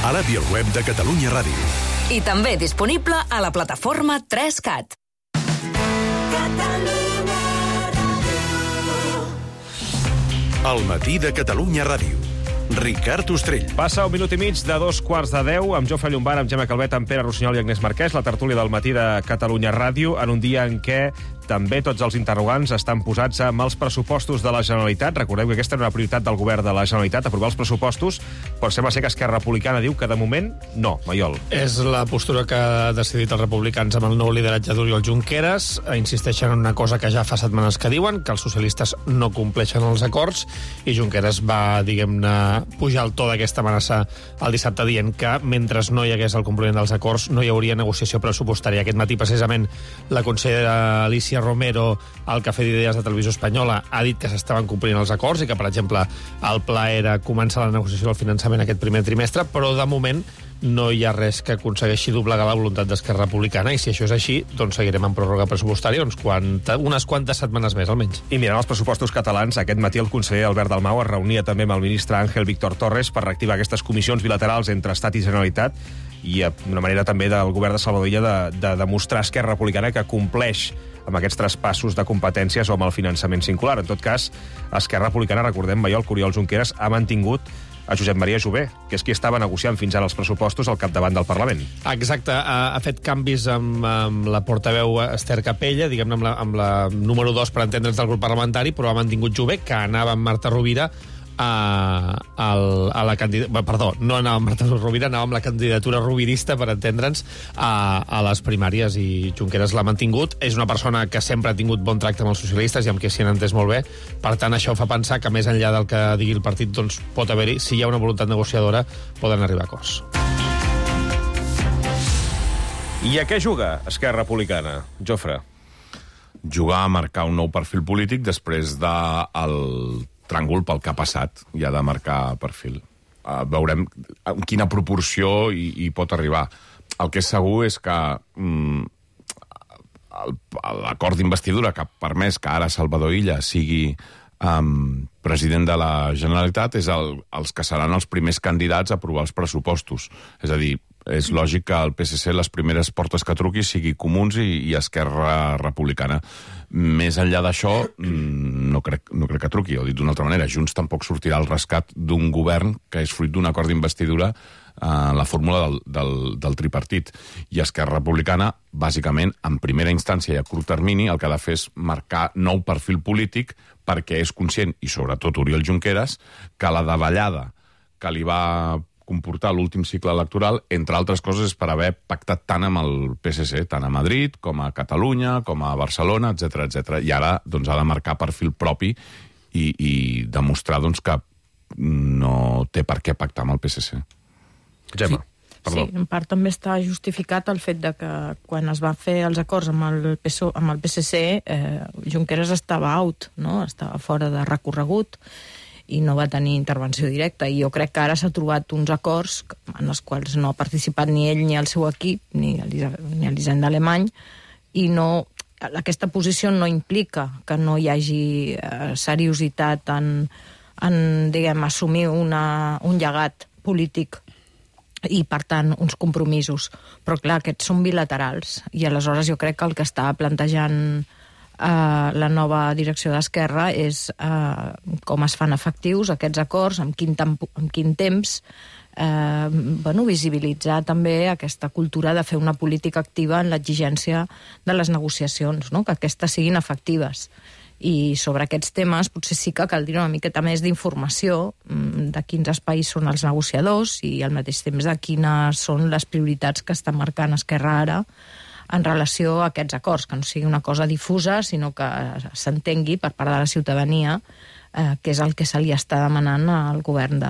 A l'app i al web de Catalunya Ràdio. I també disponible a la plataforma tres cat. El matí de Catalunya Ràdio. Ricard Ostrell. Passa un minut i mig de dos quarts de deu amb Jofre Llombart, amb Gemma Calvet, amb Pere Rossinyol i Agnès Marquès, la tertúlia del matí de Catalunya Ràdio, en un dia en què també tots els interrogants estan posats amb els pressupostos de la Generalitat. Recordeu que aquesta era una prioritat del govern de la Generalitat, aprovar els pressupostos, però sembla ser que Esquerra Republicana diu que de moment no, Maiol. És la postura que ha decidit els republicans amb el nou lideratge d'Oriol Junqueras. Insisteixen en una cosa que ja fa setmanes que diuen, que els socialistes no compleixen els acords, i Junqueras va, diguem-ne, pujar el to d'aquesta amenaça el dissabte dient que mentre no hi hagués el compliment dels acords no hi hauria negociació pressupostària. Aquest matí, precisament, la consellera Alicia Romero, al Cafè d'Idees de Televisió Espanyola, ha dit que s'estaven complint els acords i que, per exemple, el pla era començar la negociació del finançament aquest primer trimestre, però de moment no hi ha res que aconsegueixi doblegar la voluntat d'Esquerra Republicana, i si això és així, doncs seguirem en pròrroga pressupostària uns quanta, unes quantes setmanes més, almenys. I mirant els pressupostos catalans, aquest matí el conseller Albert Dalmau es reunia també amb el ministre Ángel Víctor Torres per reactivar aquestes comissions bilaterals entre Estat i Generalitat, i una manera també del govern de Salvador Illa de, de demostrar a Esquerra Republicana que compleix amb aquests traspassos de competències o amb el finançament singular. En tot cas, Esquerra Republicana, recordem, Maiol, que Oriol Junqueras ha mantingut a Josep Maria Jové, que és qui estava negociant fins ara els pressupostos al capdavant del Parlament. Exacte, ha, ha fet canvis amb, amb la portaveu Esther Capella, diguem-ne amb, la, amb la número dos, per entendre'ns, del grup parlamentari, però ha mantingut Jové, que anava amb Marta Rovira a, a, a la candidatura... Perdó, no anava amb Marta Rovira, anava amb la candidatura rovirista, per entendre'ns, a, a les primàries, i Junqueras l'ha mantingut. És una persona que sempre ha tingut bon tracte amb els socialistes i amb qui s'hi han entès molt bé. Per tant, això fa pensar que més enllà del que digui el partit, doncs pot haver-hi, si hi ha una voluntat negociadora, poden arribar a acords. I a què juga Esquerra Republicana, Jofre? Jugar a marcar un nou perfil polític després del tràngol pel que ha passat, i ha de marcar perfil. Uh, veurem en quina proporció hi, hi pot arribar. El que és segur és que mm, l'acord d'investidura que ha permès que ara Salvador Illa sigui um, president de la Generalitat és el, els que seran els primers candidats a aprovar els pressupostos. És a dir, és lògic que el P S C les primeres portes que truqui sigui Comuns i, i Esquerra Republicana. Més enllà d'això, no crec, no crec que truqui, o dit d'una altra manera, Junts tampoc sortirà al rescat d'un govern que és fruit d'un acord d'investidura en la fórmula del, del, del tripartit. I Esquerra Republicana, bàsicament, en primera instància i a curt termini, el que ha de fer és marcar nou perfil polític perquè és conscient, i sobretot Oriol Junqueras, que la davallada que li va comportar l'últim cicle electoral, entre altres coses, és per haver pactat tant amb el P S C, tant a Madrid, com a Catalunya, com a Barcelona, etcètera, etcètera. I ara doncs, ha de marcar perfil propi i, i demostrar doncs, que no té per què pactar amb el P S C. Gemma. Sí. Perdó. Sí, en part també està justificat el fet de que quan es van fer els acords amb el P S O E, amb el P S C, eh, Junqueras estava out, no? Estava fora de recorregut i no va tenir intervenció directa. I jo crec que ara s'ha trobat uns acords en els quals no ha participat ni ell ni el seu equip, ni l'Hisenda Alemany, i no, aquesta posició no implica que no hi hagi eh, seriositat en, en diguem, assumir una, un llegat polític i, per tant, uns compromisos. Però, clar, aquests són bilaterals, i aleshores jo crec que el que està plantejant Uh, la nova direcció d'Esquerra és uh, com es fan efectius aquests acords, amb quin, tempo, amb quin temps, uh, bueno, visibilitzar també aquesta cultura de fer una política activa en l'exigència de les negociacions, no? Que aquestes siguin efectives. I sobre aquests temes potser sí que caldria una miqueta més d'informació de quins espais són els negociadors i al mateix temps de quines són les prioritats que està marcant Esquerra ara en relació a aquests acords, que no sigui una cosa difusa, sinó que s'entengui per part de la ciutadania eh, que és el que se li està demanant al govern de,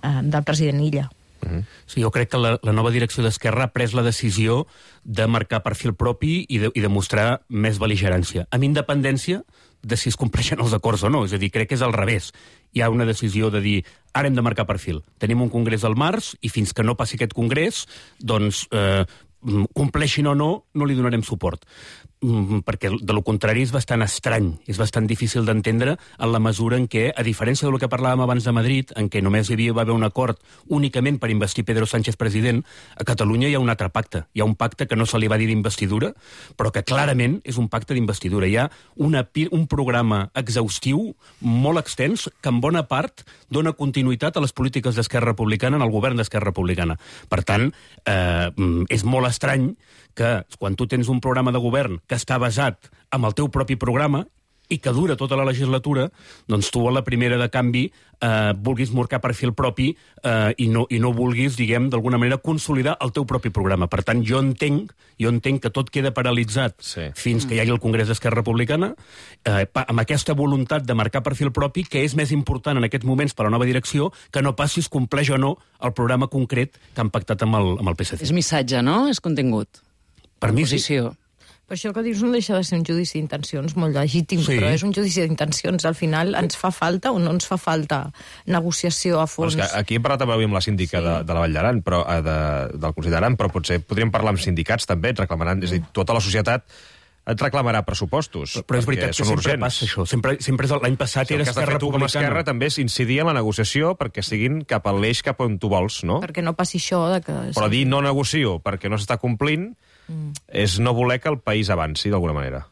eh, del president Illa. Uh-huh. Sí, jo crec que la, la nova direcció d'Esquerra ha pres la decisió de marcar perfil propi i de, i de mostrar més bel·ligerància, amb independència de si es compleixen els acords o no. És a dir, crec que és al revés. Hi ha una decisió de dir, ara hem de marcar perfil. Tenim un congrés al març i fins que no passi aquest congrés, doncs eh, compleixin o no, no li donarem suport. Perquè de lo contrari és bastant estrany, és bastant difícil d'entendre en la mesura en què, a diferència del que parlàvem abans de Madrid, en què només hi havia, va haver un acord únicament per investir Pedro Sánchez president, a Catalunya hi ha un altre pacte. Hi ha un pacte que no se li va dir d'investidura, però que clarament és un pacte d'investidura. Hi ha una, un programa exhaustiu, molt extens, que en bona part dona continuïtat a les polítiques d'Esquerra Republicana en el govern d'Esquerra Republicana. Per tant, eh, és molt estrany que quan tu tens un programa de govern que està basat en el teu propi programa i que dura tota la legislatura, doncs tu a la primera de canvi eh, vulguis marcar perfil propi eh, i, no, i no vulguis, diguem, d'alguna manera consolidar el teu propi programa. Per tant, jo entenc, jo entenc que tot queda paralitzat sí. fins que hi hagi el Congrés d'Esquerra Republicana, eh, amb aquesta voluntat de marcar perfil propi, que és més important en aquests moments per a la nova direcció que no passis compleix o no el programa concret que han pactat amb el, amb el P S C. És missatge, no? És contingut. Per mi sí. Però això que dius no deixa de ser un judici d'intencions molt legítim, sí. Però és un judici d'intencions. Al final ens fa falta o no ens fa falta negociació a fons? Bueno, aquí hem parlat avui amb la síndica sí. de, de la Vall d'Aran, però, de, del Consell d'Aran, però potser podríem parlar amb sindicats també, reclamaran, és a dir, tota la societat et reclamarà pressupostos. Però, però és veritat que sempre urgents. Passa això. Sempre, sempre l'any passat sí, era Esquerra Republicana. El que has de fer tu com a Esquerra també és incidir en la negociació perquè siguin cap a l'eix cap on tu vols, no? Perquè no passi això de que... Però dir no negocio perquè no s'està complint mm. és no voler que el país avanci d'alguna manera.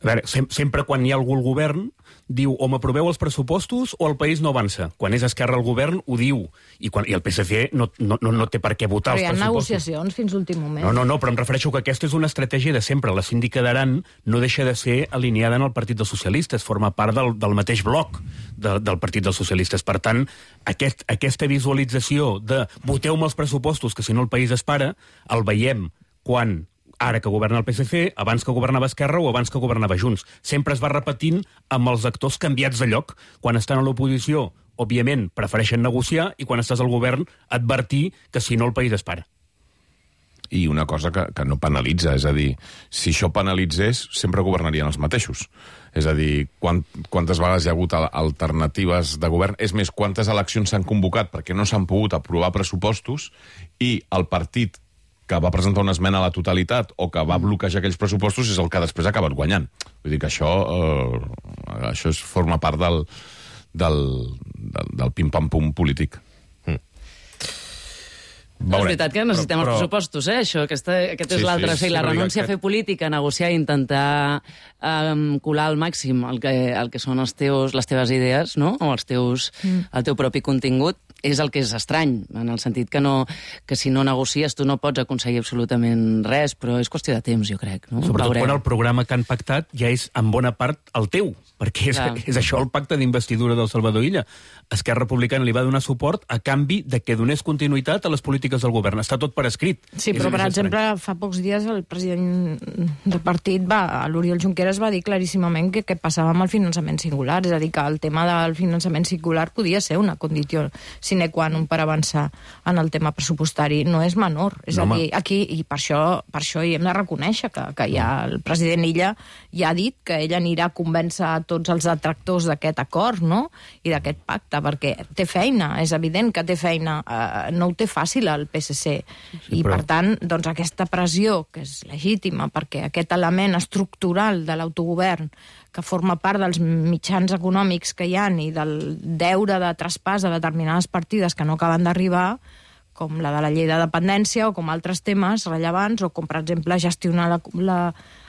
A veure, sem sempre quan hi ha algú al govern diu o m'aproveu els pressupostos o el país no avança. Quan és Esquerra al govern ho diu. I, quan, i el P S C no, no, no, no té per què votar però els pressupostos. Però hi ha negociacions fins l'últim moment. No, no, no, però em refereixo que aquesta és una estratègia de sempre. La síndica d'Aran no deixa de ser alineada en el Partit dels Socialistes, forma part del, del mateix bloc de, del Partit dels Socialistes. Per tant, aquest, aquesta visualització de voteu-me els pressupostos que si no el país es para, el veiem quan... ara que governa el P S C, abans que governava Esquerra o abans que governava Junts. Sempre es va repetint amb els actors canviats de lloc. Quan estan a l'oposició, òbviament, prefereixen negociar i quan estàs al govern, advertir que si no el país es para. I una cosa que, que no penalitza, és a dir, si això penalitzés, sempre governarien els mateixos. És a dir, quant, quantes vegades hi ha hagut alternatives de govern? És més, quantes eleccions s'han convocat perquè no s'han pogut aprovar pressupostos i el partit que va presentar una esmena a la totalitat o que va bloquejar aquells pressupostos és el que després ha acabat guanyant. Vull dir que això, eh, això és, forma part del, del, del, del pim-pam-pum polític. Mm. No, és veritat que necessitem però, els pressupostos, eh? Això, aquesta, aquest és sí, l'altre. Sí, sí, la renúncia a fer política, negociar i intentar um, colar al màxim el que, el que són els teus, les teves idees, no? O els teus, mm. el teu propi contingut, és el que és estrany, en el sentit que, no, que si no negocies tu no pots aconseguir absolutament res, però és qüestió de temps, jo crec. No? Sobretot quan el programa que han pactat ja és en bona part el teu, perquè és, és això el pacte d'investidura del Salvador Illa. Esquerra Republicana li va donar suport a canvi de que donés continuïtat a les polítiques polítiques del govern. Està tot per escrit. Sí, però, per exemple, fa pocs dies el president del partit, va, l'Oriol Junqueras, va dir claríssimament que què passava amb el finançament singular, és a dir, que el tema del finançament singular podia ser una condició sine qua non per avançar en el tema pressupostari. No és menor. És no, a dir, aquí, i per això, per això hi hem de reconèixer que, que ja el president Illa ja ha dit que ell anirà a convèncer a tots els detractors d'aquest acord, no?, i d'aquest pacte, perquè té feina, és evident que té feina, eh, no ho té fàcil el P S C, sí, i però... per tant, doncs aquesta pressió, que és legítima, perquè aquest element estructural de l'autogovern, que forma part dels mitjans econòmics que hi ha i del deure de traspàs a determinades partides que no acaben d'arribar, com la de la llei de dependència o com altres temes rellevants, o com, per exemple, gestionar la... la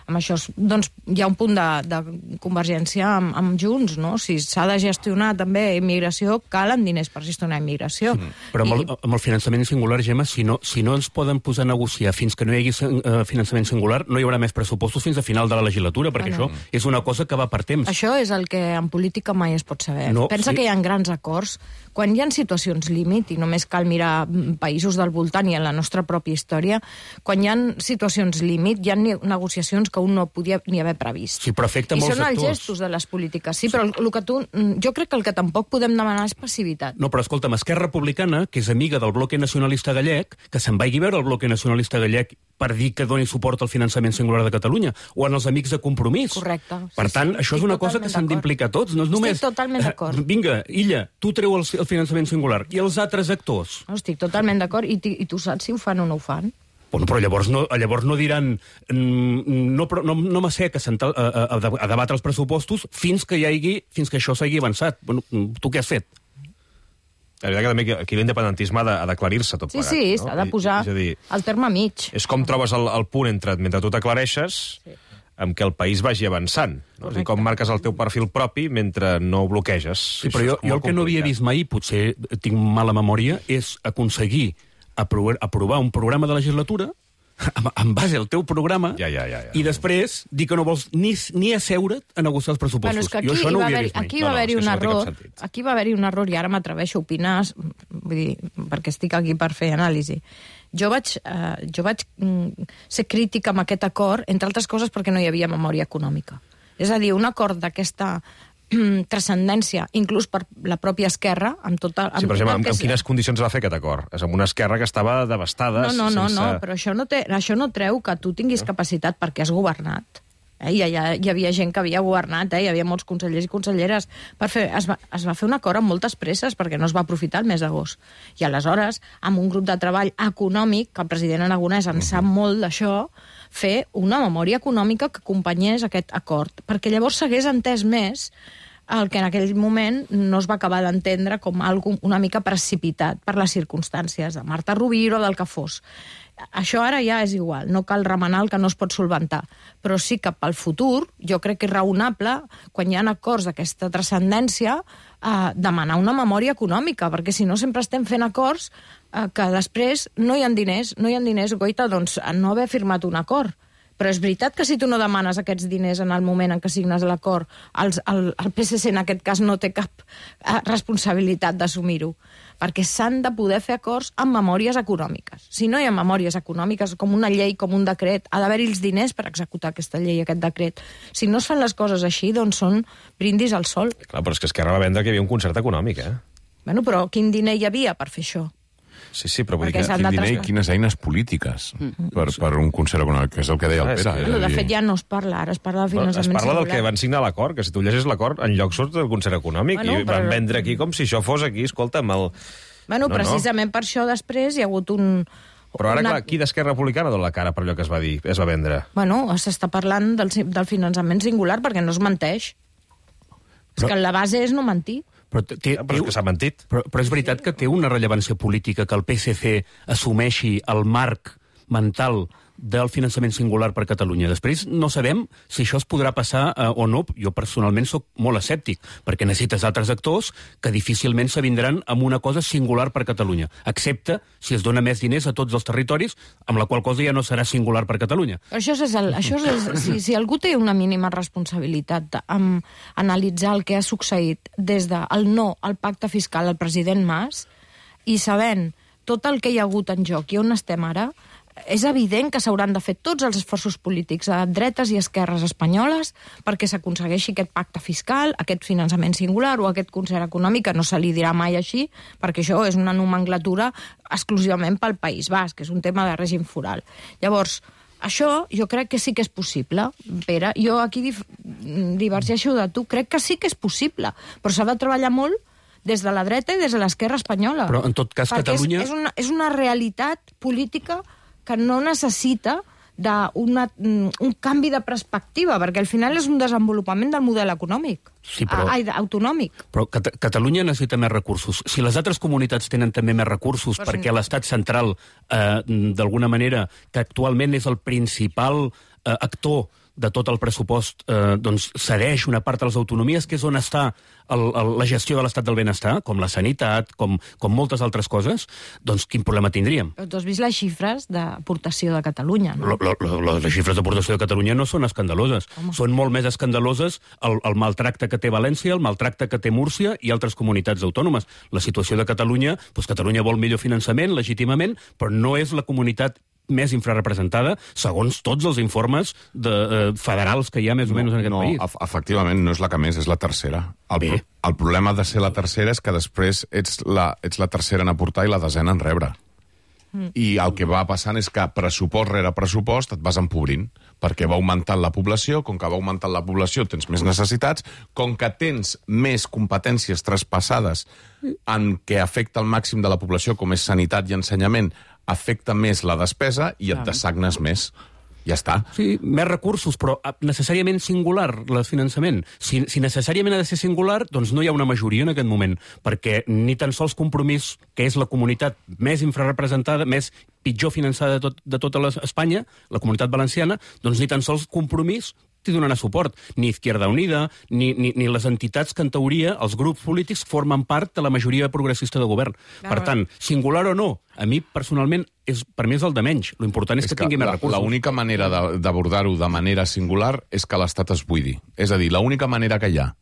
amb això, doncs, hi ha un punt de, de convergència amb, amb Junts, no? Si s'ha de gestionar també immigració, calen diners per gestionar immigració. Sí, però amb el, I... amb el finançament singular, Gemma, si no, si no ens poden posar a negociar fins que no hi hagi uh, finançament singular, no hi haurà més pressupostos fins a final de la legislatura, perquè bueno, això és una cosa que va per temps. Això és el que en política mai es pot saber. No, Pensa sí. que hi ha grans acords. Quan hi ha situacions límit, i només cal mirar països del voltant i en la nostra pròpia història, quan hi ha situacions límit, hi ha negociacions que un no podia ni haver previst. Sí, però afecta I molts són sectors. els gestos de les polítiques. Sí, sí, però el que tu... Jo crec que el que tampoc podem demanar és passivitat. No, però escolta'm, Esquerra Republicana, que és amiga del bloque nacionalista gallec, que se'n vagi a veure el bloque nacionalista gallec per dir que doni suport al finançament singular de Catalunya, o en els amics de Compromís. Correcte. Per sí, tant, sí, això és una cosa que s'han d'implicar tots, no és només... Estic totalment d'acord. Eh, vinga, Illa, tu treu el, el finançament singular, i els altres actors? No, estic totalment d'acord, i, i tu saps si ho fan o no ho fan? Bueno, però llavors no, llavors no diran no, no, no m'assec a, a, a, a debatre els pressupostos fins que hi hagi, fins que això s'hagi avançat. Bueno, tu què has fet? La veritat que també aquí l'independentisme ha d'aclarir-se tot sí, plegat. Sí, sí, no? s'ha de posar és, és dir, el terme mig. És com trobes el, el punt entre, mentre tu t'aclareixes, sí, amb què el país vagi avançant. No? I com marques el teu perfil propi mentre no ho bloqueges. Sí, però jo, jo el que no havia vist mai, potser tinc mala memòria, és aconseguir aprovar, aprovar un programa de legislatura en, en base al teu programa ja, ja, ja, ja. i després dir que no vols ni, ni asseure't a negociar els pressupostos. Bueno, és que aquí jo això no ho havia vist mai. Aquí va no, haver-hi no, un no error, aquí va haver-hi un error i ara m'atreveixo a opinar, vull dir, perquè estic aquí per fer anàlisi. Jo vaig, eh, jo vaig mm, ser crítica amb aquest acord, entre altres coses perquè no hi havia memòria econòmica. És a dir, un acord d'aquesta transcendència, inclús per la pròpia Esquerra, amb tota... Amb sí, però tota amb, amb quines condicions va fer aquest acord? És amb una Esquerra que estava devastada... No, no, no, sense... no però això no, té, això no treu que tu tinguis no. capacitat perquè has governat. Eh? Hi, ha, hi havia gent que havia governat, eh? Hi havia molts consellers i conselleres. Per fer, es, va, es va fer un acord amb moltes presses perquè no es va aprofitar el mes d'agost. I aleshores, amb un grup de treball econòmic, que el president Aragonès en sap molt d'això, fer una memòria econòmica que acompanyés aquest acord, perquè llavors s'hagués entès més el que en aquell moment no es va acabar d'entendre com algo una mica precipitat per les circumstàncies de Marta Rovira o del que fos. Això ara ja és igual, no cal remenar el que no es pot solventar, però sí que pel futur jo crec que és raonable, quan hi ha acords d'aquesta transcendència, eh, demanar una memòria econòmica, perquè si no sempre estem fent acords eh, que després no hi ha diners, no hi ha diners, goita, doncs a no haver firmat un acord. Però és veritat que si tu no demanes aquests diners en el moment en què signes l'acord, el, el, el P S C en aquest cas no té cap eh, responsabilitat d'assumir-ho, perquè s'han de poder fer acords amb memòries econòmiques. Si no hi ha memòries econòmiques, com una llei, com un decret, ha d'haver-hi els diners per executar aquesta llei, aquest decret. Si no es fan les coses així, doncs són brindis al sol. Clar, però és que Esquerra va vendre que hi havia un concert econòmic, eh? Bueno, però quin diner hi havia per fer això? Sí, sí, però vull dir Perquè que... s'han Quin de diner i trasladar. quines eines polítiques per, per un concert econòmic, que és el que deia el Ah, és Pere. que- és a No, de dir, fet, ja no es parla, ara es parla de Bueno, finançament es parla del singular. que van signar l'acord, que si tu llegeixes l'acord, enlloc surt del concert econòmic, Bueno, i però- van vendre aquí com si això fos aquí, escolta, amb el... Bueno, No, no. precisament per això després hi ha hagut un... Però ara, una... clar, qui d'Esquerra Republicana dona la cara per allò que es va dir, es va vendre? Bueno, s'està parlant del, del finançament singular perquè no es menteix. Però... És que la base és no mentir. Però, té, però és que s'ha mentit. Però, però és veritat que té una rellevància política que el P S C assumeixi el marc mental del finançament singular per Catalunya. Després no sabem si això es podrà passar eh, o no. Jo personalment sóc molt escèptic, perquè necessites altres actors que difícilment s'avindran amb una cosa singular per Catalunya, excepte si es dona més diners a tots els territoris, amb la qual cosa ja no serà singular per Catalunya. Però això és el, això és, si, si algú té una mínima responsabilitat amb analitzar el que ha succeït des del no al pacte fiscal al president Mas, i sabent tot el que hi ha hagut en joc i on estem ara, és evident que s'hauran de fer tots els esforços polítics a dretes i esquerres espanyoles perquè s'aconsegueixi aquest pacte fiscal, aquest finançament singular o aquest concert econòmic, que no se li dirà mai així, perquè això és una nomenclatura exclusivament pel País Basc, que és un tema de règim foral. Llavors, això jo crec que sí que és possible, Pere. Jo aquí dif divergeixo de tu. Crec que sí que és possible, però s'ha de treballar molt des de la dreta i des de l'esquerra espanyola. Però, en tot cas, perquè Catalunya... És, és, una, és una realitat política que no necessita d'una, un canvi de perspectiva, perquè al final és un desenvolupament del model econòmic, sí, però... ai, autonòmic. Però Cat Catalunya necessita més recursos. Si les altres comunitats tenen també més recursos, Però perquè sí. l'estat central, eh, d'alguna manera, que actualment és el principal eh, actor de tot el pressupost, eh, doncs cedeix una part de les autonomies, que és on està el, el, la gestió de l'estat del benestar, com la sanitat, com, com moltes altres coses, doncs quin problema tindríem? Però tu has vist les xifres d'aportació de Catalunya, no? Lo, lo, lo, les xifres d'aportació de Catalunya no són escandaloses. Home. Són molt més escandaloses el, el maltracte que té València, el maltracte que té Múrcia i altres comunitats autònomes. La situació de Catalunya, doncs Catalunya vol millor finançament, legítimament, però no és la comunitat més infrarrepresentada, segons tots els informes de, eh, federals que hi ha més o menys en aquest no, país. No, efectivament, no és la que més, és la tercera. El, pro el problema de ser la tercera és que després ets la, ets la tercera en aportar i la desena en rebre. Mm. I el que va passant és que pressupost rere pressupost et vas empobrint, perquè va augmentant la població, com que va augmentant la població tens més necessitats, com que tens més competències traspassades en què afecta el màxim de la població, com és sanitat i ensenyament, afecta més la despesa i et Clar. dessagnes més. Ja està. Sí, més recursos, però necessàriament singular, el finançament. Si, si necessàriament ha de ser singular, doncs no hi ha una majoria en aquest moment, perquè ni tan sols Compromís, que és la comunitat més infrarrepresentada, més pitjor finançada de, tot, de tota les, Espanya, la comunitat valenciana, doncs ni tan sols Compromís t'hi donarà suport. Ni Izquierda Unida, ni, ni, ni les entitats que, en teoria, els grups polítics formen part de la majoria progressista de govern. Clar. Per tant, singular o no, a mi, personalment, és, per mi és el de menys. L'important és, és que, que tingui més recursos. L'única manera d'abordar-ho de manera singular és que l'Estat es buidi. És a dir, l'única manera que hi ha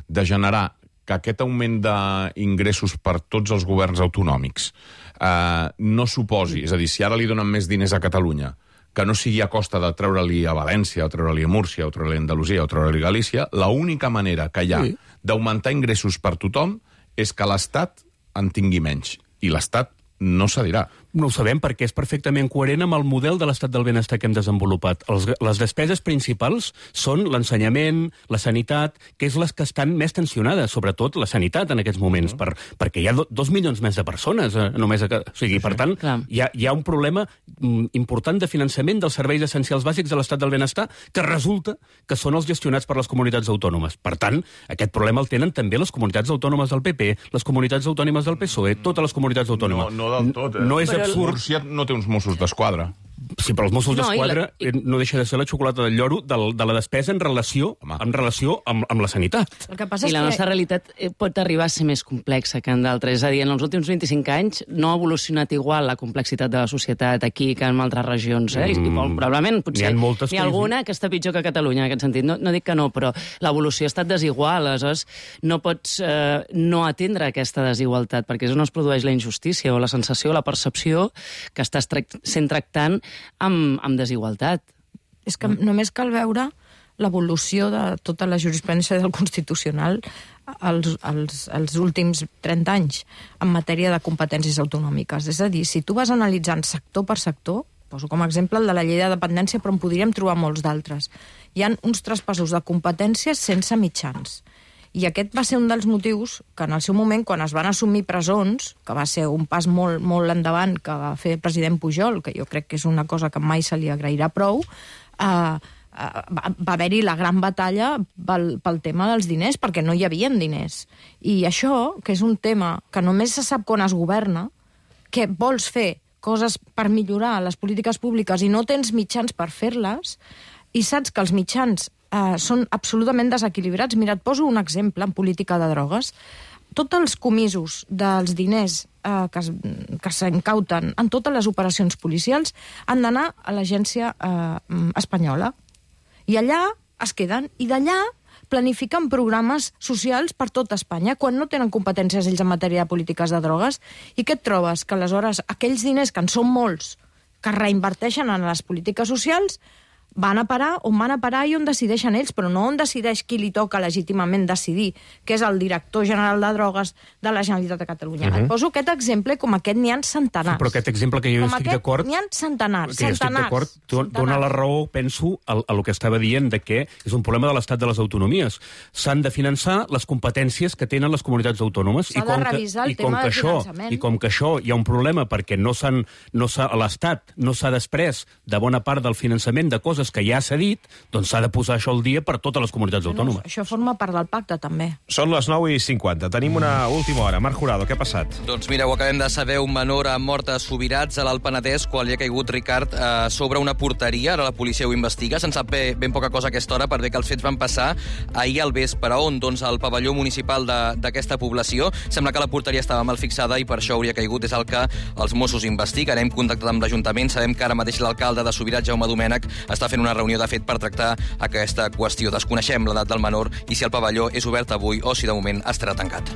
de generar que aquest augment d'ingressos per tots els governs autonòmics eh, no suposi, és a dir, si ara li donen més diners a Catalunya, que no sigui a costa de treure-li a València, o treure-li a Múrcia, o treure-li a Andalusia, o treure-li a Galícia, l'única manera que hi ha sí. d'augmentar ingressos per tothom és que l'Estat en tingui menys. I l'Estat no cedirà. No ho sabem perquè és perfectament coherent amb el model de l'estat del benestar que hem desenvolupat. Els, les despeses principals són l'ensenyament, la sanitat, que és les que estan més tensionades, sobretot la sanitat en aquests moments, uh -huh. per, perquè hi ha do, dos milions més de persones eh, només. A, o sigui, sí, per tant, hi ha, hi ha un problema mm, important de finançament dels serveis essencials bàsics de l'estat del benestar que resulta que són els gestionats per les comunitats autònomes. Per tant, aquest problema el tenen també les comunitats autònomes del P P, les comunitats autònomes del P S O E, totes les comunitats autònomes. No, no del tot, eh? No és absurd. Múrcia no té uns Mossos d'Esquadra. Sí, però els Mossos No, d'Esquadra i la- no deixa de ser la xocolata del lloro de, de la despesa en relació, en relació amb, amb la sanitat. El que passa I és la que... nostra realitat eh, pot arribar a ser més complexa que en d'altres. És a dir, en els últims vint-i-cinc anys no ha evolucionat igual la complexitat de la societat aquí que en altres regions. Eh? Mm. I probablement, potser, N'hi ha moltes n'hi ha que- alguna que està pitjor que Catalunya en aquest sentit. No, no dic que no, però l'evolució ha estat desigual. Aleshores, no pots eh, no atendre aquesta desigualtat, perquè és on es produeix la injustícia o la sensació, la percepció que estàs trac sent tractant amb, amb desigualtat. És que només cal veure l'evolució de tota la jurisprudència del Constitucional als, als, als últims trenta anys en matèria de competències autonòmiques. És a dir, si tu vas analitzant sector per sector, poso com a exemple el de la llei de dependència, però en podríem trobar molts d'altres. Hi ha uns traspassos de competències sense mitjans. I aquest va ser un dels motius que en el seu moment, quan es van assumir presons, que va ser un pas molt, molt endavant que va fer el president Pujol, que jo crec que és una cosa que mai se li agrairà prou, eh, eh, va, va haver-hi la gran batalla pel, pel tema dels diners, perquè no hi havia diners. I això, que és un tema que només se sap quan es governa, que vols fer coses per millorar les polítiques públiques i no tens mitjans per fer-les, i saps que els mitjans Uh, són absolutament desequilibrats. Mira, et poso un exemple en política de drogues. Tots els comisos dels diners uh, que, es, que s'incauten en totes les operacions policials han d'anar a l'agència uh, espanyola. I allà es queden. I d'allà planifiquen programes socials per tot Espanya, quan no tenen competències ells en matèria de polítiques de drogues. I què et trobes? Que aleshores aquells diners, que en són molts, que reinverteixen en les polítiques socials, van a parar on van a parar i on decideixen ells, però no on decideix qui li toca legítimament decidir, que és el director general de drogues de la Generalitat de Catalunya. Uh-huh. Et poso aquest exemple, com aquest n'hi ha centenars. Sí, però aquest exemple que jo com estic aquest, d'acord... n'hi ha centenars, que centenars. Jo estic d'acord, dona la raó, penso, a, a lo que estava dient, de que és un problema de l'estat de les autonomies. S'han de finançar les competències que tenen les comunitats autònomes. S'ha I com de revisar que, el tema del això, finançament. I com que això hi ha un problema perquè no s'han, no s'ha, l'Estat no s'ha després de bona part del finançament de coses que ja s'ha dit, doncs s'ha de posar això al dia per totes les comunitats autònomes. No, això forma part del pacte, també. Són les nou i cinquanta. Tenim una última hora. Marc Jurado, què ha passat? Doncs mira, ho acabem de saber, un menor ha mort a Subirats, a l'Alt Penedès, quan li ha caigut, Ricard, eh, sobre una porteria. Ara la policia ho investiga. Se'n sap bé, ben poca cosa a aquesta hora, per bé que els fets van passar ahir al vespre. On? Doncs al pavelló municipal d'aquesta població. Sembla que la porteria estava mal fixada i per això hauria caigut. És el que els Mossos investiguen. Hem contactat amb l'Ajuntament. Sabem que ara mateix l'alcalde de Subirats, Jaume Domènech, està fent una reunió de fet per tractar aquesta qüestió. Desconeixem l'edat del menor i si el pavelló és obert avui o si de moment estarà tancat.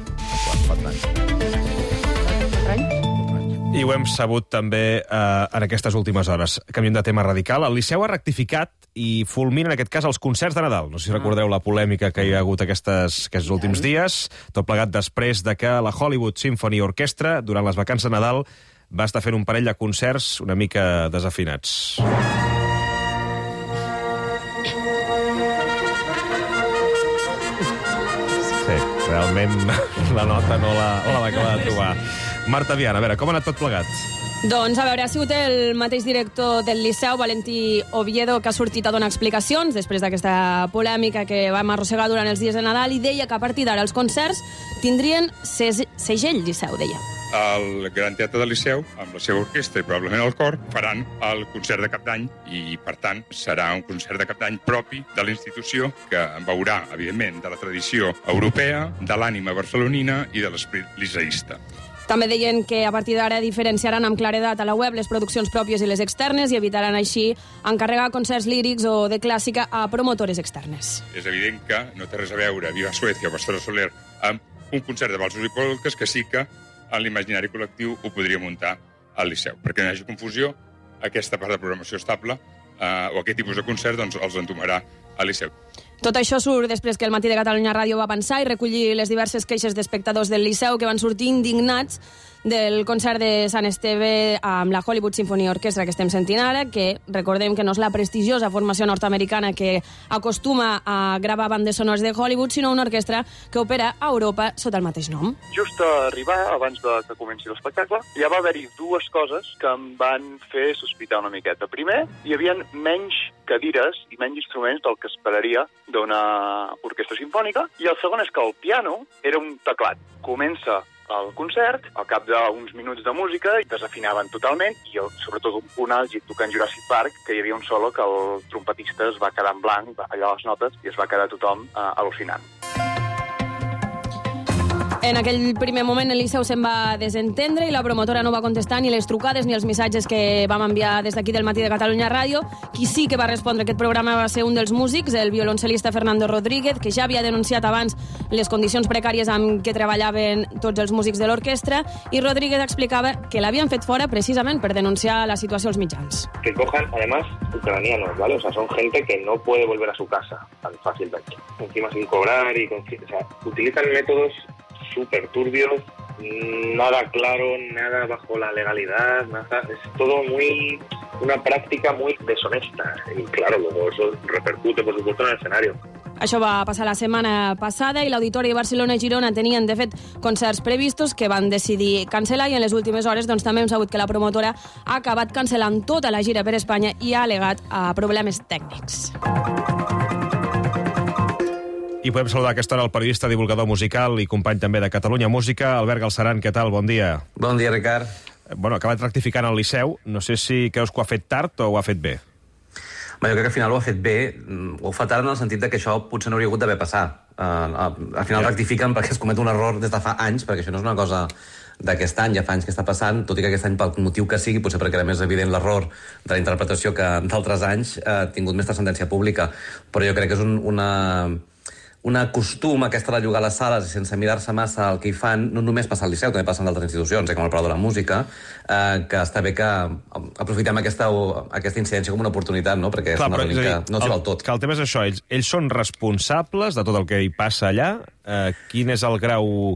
I ho hem sabut també eh, en aquestes últimes hores. Canviem de tema radical. El Liceu ha rectificat i fulmina, en aquest cas, els concerts de Nadal. No sé si recordeu la polèmica que hi ha hagut aquestes, aquests últims dies. Tot plegat després de que la Hollywood Symphony Orchestra, durant les vacances de Nadal, va estar fent un parell de concerts una mica desafinats. Realment la nota no la, la va acabar de trobar. Marta Viana, a veure, com ha anat tot plegat? Doncs, a veure, ha sigut el mateix director del Liceu, Valentí Oviedo, que ha sortit a donar explicacions després d'aquesta polèmica que vam arrossegar durant els dies de Nadal i deia que a partir d'ara els concerts tindrien segell Liceu, deia. El Gran Teatre del Liceu, amb la seva orquestra i probablement el cor, faran el concert de cap d'any i, per tant, serà un concert de cap d'any propi de la institució que veurà, evidentment, de la tradició europea, de l'ànima barcelonina i de l'esprit liceísta. També deien que a partir d'ara diferenciaran amb claredat a la web les produccions pròpies i les externes i evitaran així encarregar concerts lírics o de clàssica a promotores externes. És evident que no té res a veure Viva Suècia o Pastora Soler amb un concert de valsos i polques que sí que en l'imaginari col·lectiu ho podria muntar al Liceu. Perquè no hi hagi confusió, aquesta part de programació estable eh, o aquest tipus de concert doncs, els entomarà al Liceu. Tot això surt després que el Matí de Catalunya Ràdio va pensar i recollir les diverses queixes d'espectadors del Liceu que van sortir indignats del concert de Sant Esteve amb la Hollywood Symphony Orchestra que estem sentint ara, que recordem que no és la prestigiosa formació nord-americana que acostuma a gravar bandes sonores de Hollywood, sinó una orquestra que opera a Europa sota el mateix nom. Just a arribar, abans de que comenci l'espectacle, ja va haver-hi dues coses que em van fer sospitar una miqueta. Primer, hi havia menys cadires i menys instruments del que esperaria d'una orquestra simfònica, i el segon és que el piano era un teclat. Comença el concert, al cap d'uns minuts de música, desafinaven totalment, i el, sobretot un punt àlgid tocant Jurassic Park, que hi havia un solo que el trompetista es va quedar en blanc, allà a les notes, i es va quedar tothom eh, al·lucinant. En aquell primer moment el Liceu se'n va desentendre i la promotora no va contestar ni les trucades ni els missatges que vam enviar des d'aquí del Matí de Catalunya Ràdio. Qui sí que va respondre aquest programa va ser un dels músics, el violoncel·lista Fernando Rodríguez, que ja havia denunciat abans les condicions precàries amb què treballaven tots els músics de l'orquestra, i Rodríguez explicava que l'havien fet fora precisament per denunciar la situació als mitjans. Que cojan, además, ucranianos, ¿vale? O sea, son gente que no puede volver a su casa tan fácilmente. Encima sin cobrar y con... O sea, utilizan métodos súper turbios, nada claro, nada bajo la legalidad, nada, es todo muy, una práctica muy deshonesta, y claro, luego eso repercute, por supuesto, en el escenario. Això va passar la setmana passada i l'Auditori de Barcelona i Girona tenien, de fet, concerts previstos que van decidir cancel·lar, i en les últimes hores doncs, també hem sabut que la promotora ha acabat cancel·lant tota la gira per Espanya i ha al·legat a problemes tècnics. I podem saludar a aquesta hora el periodista, divulgador musical i company també de Catalunya Música, Albert Galceran. Què tal? Bon dia. Bon dia, Ricard. Bueno, ha acabat rectificant el Liceu. No sé si creus que ho ha fet tard o ho ha fet bé. Bé, jo crec que al final ho ha fet bé. Ho fa tard en el sentit de que això potser no hauria hagut d'haver passat. Uh, al final rectifiquen perquè es comet un error des de fa anys, perquè això no és una cosa d'aquest any, ja fa anys que està passant, tot i que aquest any, pel motiu que sigui, potser perquè era més evident l'error de la interpretació que d'altres anys, ha tingut més transcendència pública. Però jo crec que és un, una... una costum aquesta de llogar les sales i sense mirar-se massa el que hi fan, no només passa al Liceu, també passa en d'altres institucions, eh, com el Palau de la Música, eh, que està bé que aprofitem aquesta, aquesta incidència com una oportunitat, no? Perquè Clar, és una però, és que dir, no s'hi el, val tot. Que el tema és això, ells, ells són responsables de tot el que hi passa allà. Eh, quin és el grau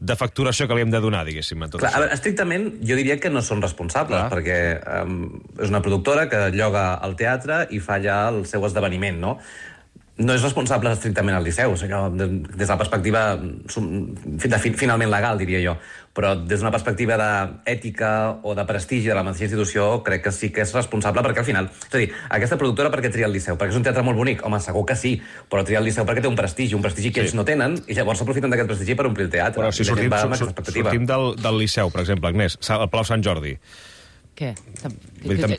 de facturació que li hem de donar, diguéssim, en tot Clar, això? a veure, estrictament, jo diria que no són responsables, Clar. perquè um, és una productora que lloga al teatre i fa allà el seu esdeveniment, no? No és responsable estrictament al Liceu, allò, des de la perspectiva de finalment legal, diria jo, però des d'una perspectiva d'ètica o de prestigi de la mateixa institució, crec que sí que és responsable, perquè al final... És a dir, aquesta productora per què tria el Liceu? Perquè és un teatre molt bonic? Home, segur que sí, però tria el Liceu perquè té un prestigi, un prestigi que sí. ells no tenen, i llavors s'aprofiten d'aquest prestigi per omplir el teatre. Però si sortim, sortim del, del Liceu, per exemple, Agnès, el Palau Sant Jordi, Què?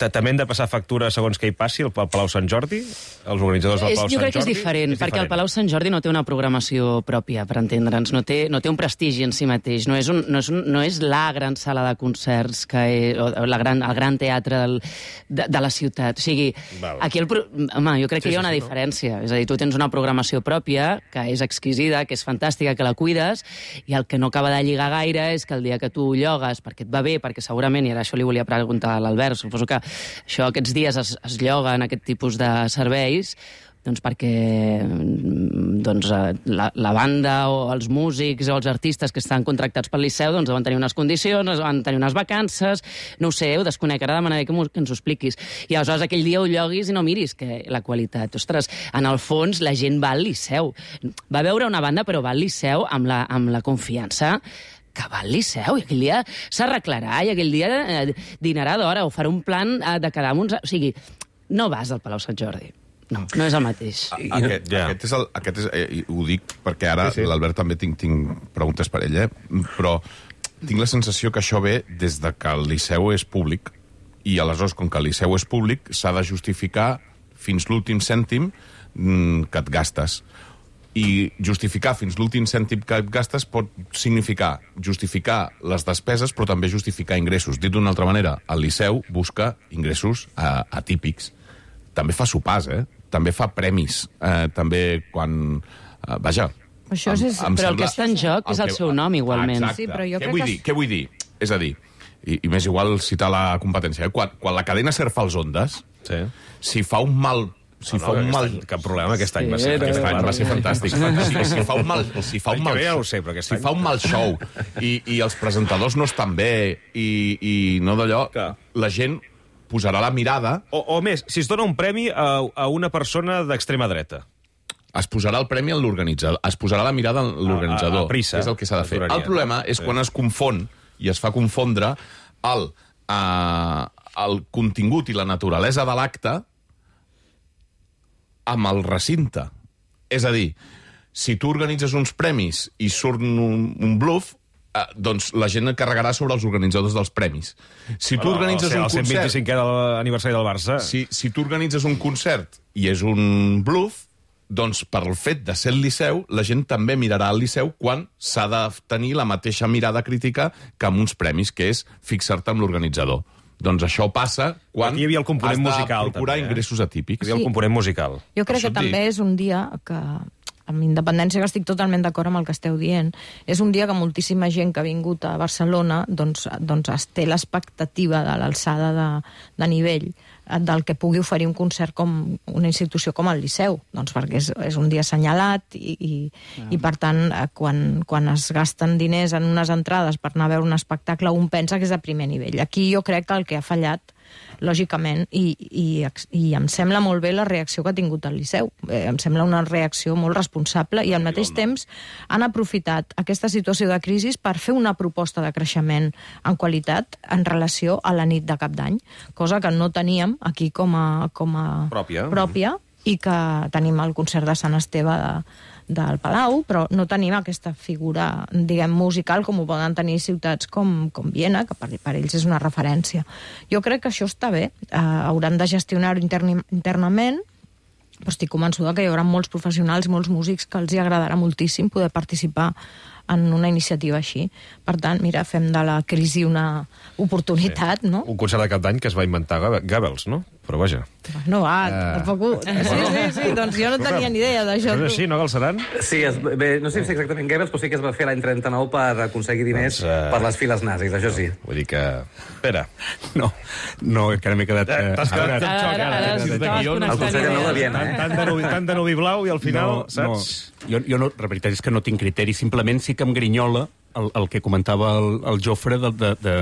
També hem de passar factura segons què hi passi al Palau Sant Jordi? Els organitzadors del Palau Sant Jordi? Jo crec que és diferent, perquè el Palau Sant Jordi no té una programació pròpia, per entendre'ns, no té, no té un prestigi en si mateix, no és, un, no és, un, no és la gran sala de concerts, que és, o la gran, el gran teatre del, de, de la ciutat. O sigui, Val. aquí el... Home, jo crec que sí, hi ha una sí, diferència. No? És a dir, tu tens una programació pròpia, que és exquisida, que és fantàstica, que la cuides, i el que no acaba de lligar gaire és que el dia que tu llogues perquè et va bé, perquè segurament, i ara això li volia preguntar a l'Albert, suposo que això aquests dies es, es lloga en aquest tipus de serveis, doncs perquè doncs, la, la banda o els músics o els artistes que estan contractats pel Liceu doncs deuen tenir unes condicions, deuen tenir unes vacances, no ho sé, ho desconec, ara demanaré que, que ens ho expliquis. I aleshores aquell dia ho lloguis i no miris que la qualitat. Ostres, en el fons la gent va al Liceu. Va veure una banda però va al Liceu amb la, amb la confiança que va al Liceu, i aquell dia s'arreglarà, i aquell dia eh, dinarà d'hora, o farà un plan eh, de quedar amb uns... O sigui, no vas al Palau Sant Jordi. No, no és el mateix. Aquest, yeah. aquest és el... Aquest és, eh, ho dic perquè ara sí, sí. l'Albert també tinc, tinc preguntes per ell, eh? Però tinc la sensació que això ve des de que el Liceu és públic, i aleshores, com que el Liceu és públic, s'ha de justificar fins l'últim cèntim mm, que et gastes. I justificar fins l'últim cèntim que et gastes pot significar justificar les despeses, però també justificar ingressos. Dit d'una altra manera, el Liceu busca ingressos eh, atípics. També fa sopars, eh? També fa premis. Eh, també quan... Eh, vaja... Això és, em, em però sembla, el que està en joc és el, el seu nom, igualment. Exacte. Sí, però jo què, crec vull que... dir, què vull dir? És a dir, i, i més igual citar la competència, eh? quan, quan la cadena SER fa els Ondes, sí. si fa un mal... Si no, fa no, un mal... Any, cap problema, aquest any va ser, sí, aquest any va ser fantàstic. Si, si fa un mal, si fa un mal, ja ho sé, però si fa un mal show i, i els presentadors no estan bé i, i no d'allò, la gent posarà la mirada... O, o més, si es dona un premi a, a una persona d'extrema dreta. Es posarà el premi en l'organitzador, es posarà la mirada en l'organitzador, que és el que s'ha de fer. El problema és quan es confon i es fa confondre el, uh, el contingut i la naturalesa de l'acte amb el recinte. És a dir, si tu organitzes uns premis i surt un, un bluff, eh, doncs la gent et carregarà sobre els organitzadors dels premis. Si tu organitzes o sigui, un concert... El cent vint-i-cinquè de l'aniversari del Barça... Si, si tu organitzes un concert i és un bluff, doncs per el fet de ser el Liceu, la gent també mirarà al Liceu quan s'ha de tenir la mateixa mirada crítica que amb uns premis, que és fixar-te amb l'organitzador. Doncs això passa quan hi havia el component has de musical, procurar també, eh? ingressos atípics. Hi havia el component musical. Jo crec que també és un dia que, amb independència que estic totalment d'acord amb el que esteu dient, és un dia que moltíssima gent que ha vingut a Barcelona doncs, doncs es té l'expectativa de l'alçada de, de nivell del que pugui oferir un concert com una institució com el Liceu, doncs perquè és, és un dia assenyalat i, i, ah. i per tant, quan, quan es gasten diners en unes entrades per anar a veure un espectacle, un pensa que és de primer nivell. Aquí jo crec que el que ha fallat, lògicament, i, i, i em sembla molt bé la reacció que ha tingut el Liceu. Eh, em sembla una reacció molt responsable i al mateix temps han aprofitat aquesta situació de crisi per fer una proposta de creixement en qualitat en relació a la nit de Cap d'Any, cosa que no teníem aquí com a, com a pròpia. pròpia i que tenim el concert de Sant Esteve de, del Palau, però no tenim aquesta figura, diguem, musical com ho poden tenir ciutats com, com Viena, que per, per ells és una referència. Jo crec que això està bé, eh, hauran de gestionar-ho interni, internament, però estic convençuda que hi haurà molts professionals, molts músics que els hi agradarà moltíssim poder participar en una iniciativa així. Per tant, mira, fem de la crisi una oportunitat, sí. no? Un concert de Cap d'Any que es va inventar Goebbels, no? però vaja. No, va, Eh. tampoc... Sí, sí, sí, doncs jo no tenia ni idea d'això. No és així, no, Galceran? Sí, es, bé, no sé si exactament Goebbels, però sí que es va fer l'any trenta-nou per aconseguir diners Doncs, eh, per les files nazis, això sí. Vull dir que... Espera. No, no, encara m'he quedat... Eh, T'has quedat amb xoc, ara. El Consell de Nou de Viena, eh? Tant de nuvi, tant de nuvi blau i al final, no, saps? No. Jo, jo no, la veritat és que no tinc criteri, simplement sí que em grinyola el, el que comentava el, el Jofre de, de, de,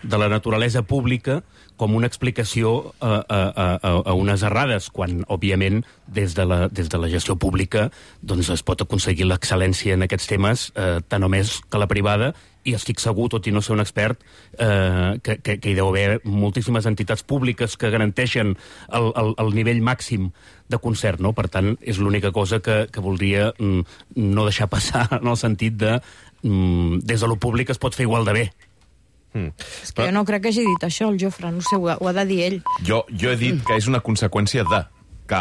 de la naturalesa pública com una explicació a, a, a, a unes errades, quan, òbviament, des de la, des de la gestió pública doncs es pot aconseguir l'excel·lència en aquests temes, eh, tant o més que la privada, i estic segur, tot i no ser un expert, eh, que, que, que hi deu haver moltíssimes entitats públiques que garanteixen el, el, el nivell màxim de concert, no? Per tant, és l'única cosa que, que voldria mm, no deixar passar, en el sentit de mm, des de lo públic es pot fer igual de bé. Mm. És que jo no crec que hagi dit això, el Jofre, no sé, ho ha, ho ha de dir ell. Jo, jo he dit que és una conseqüència de que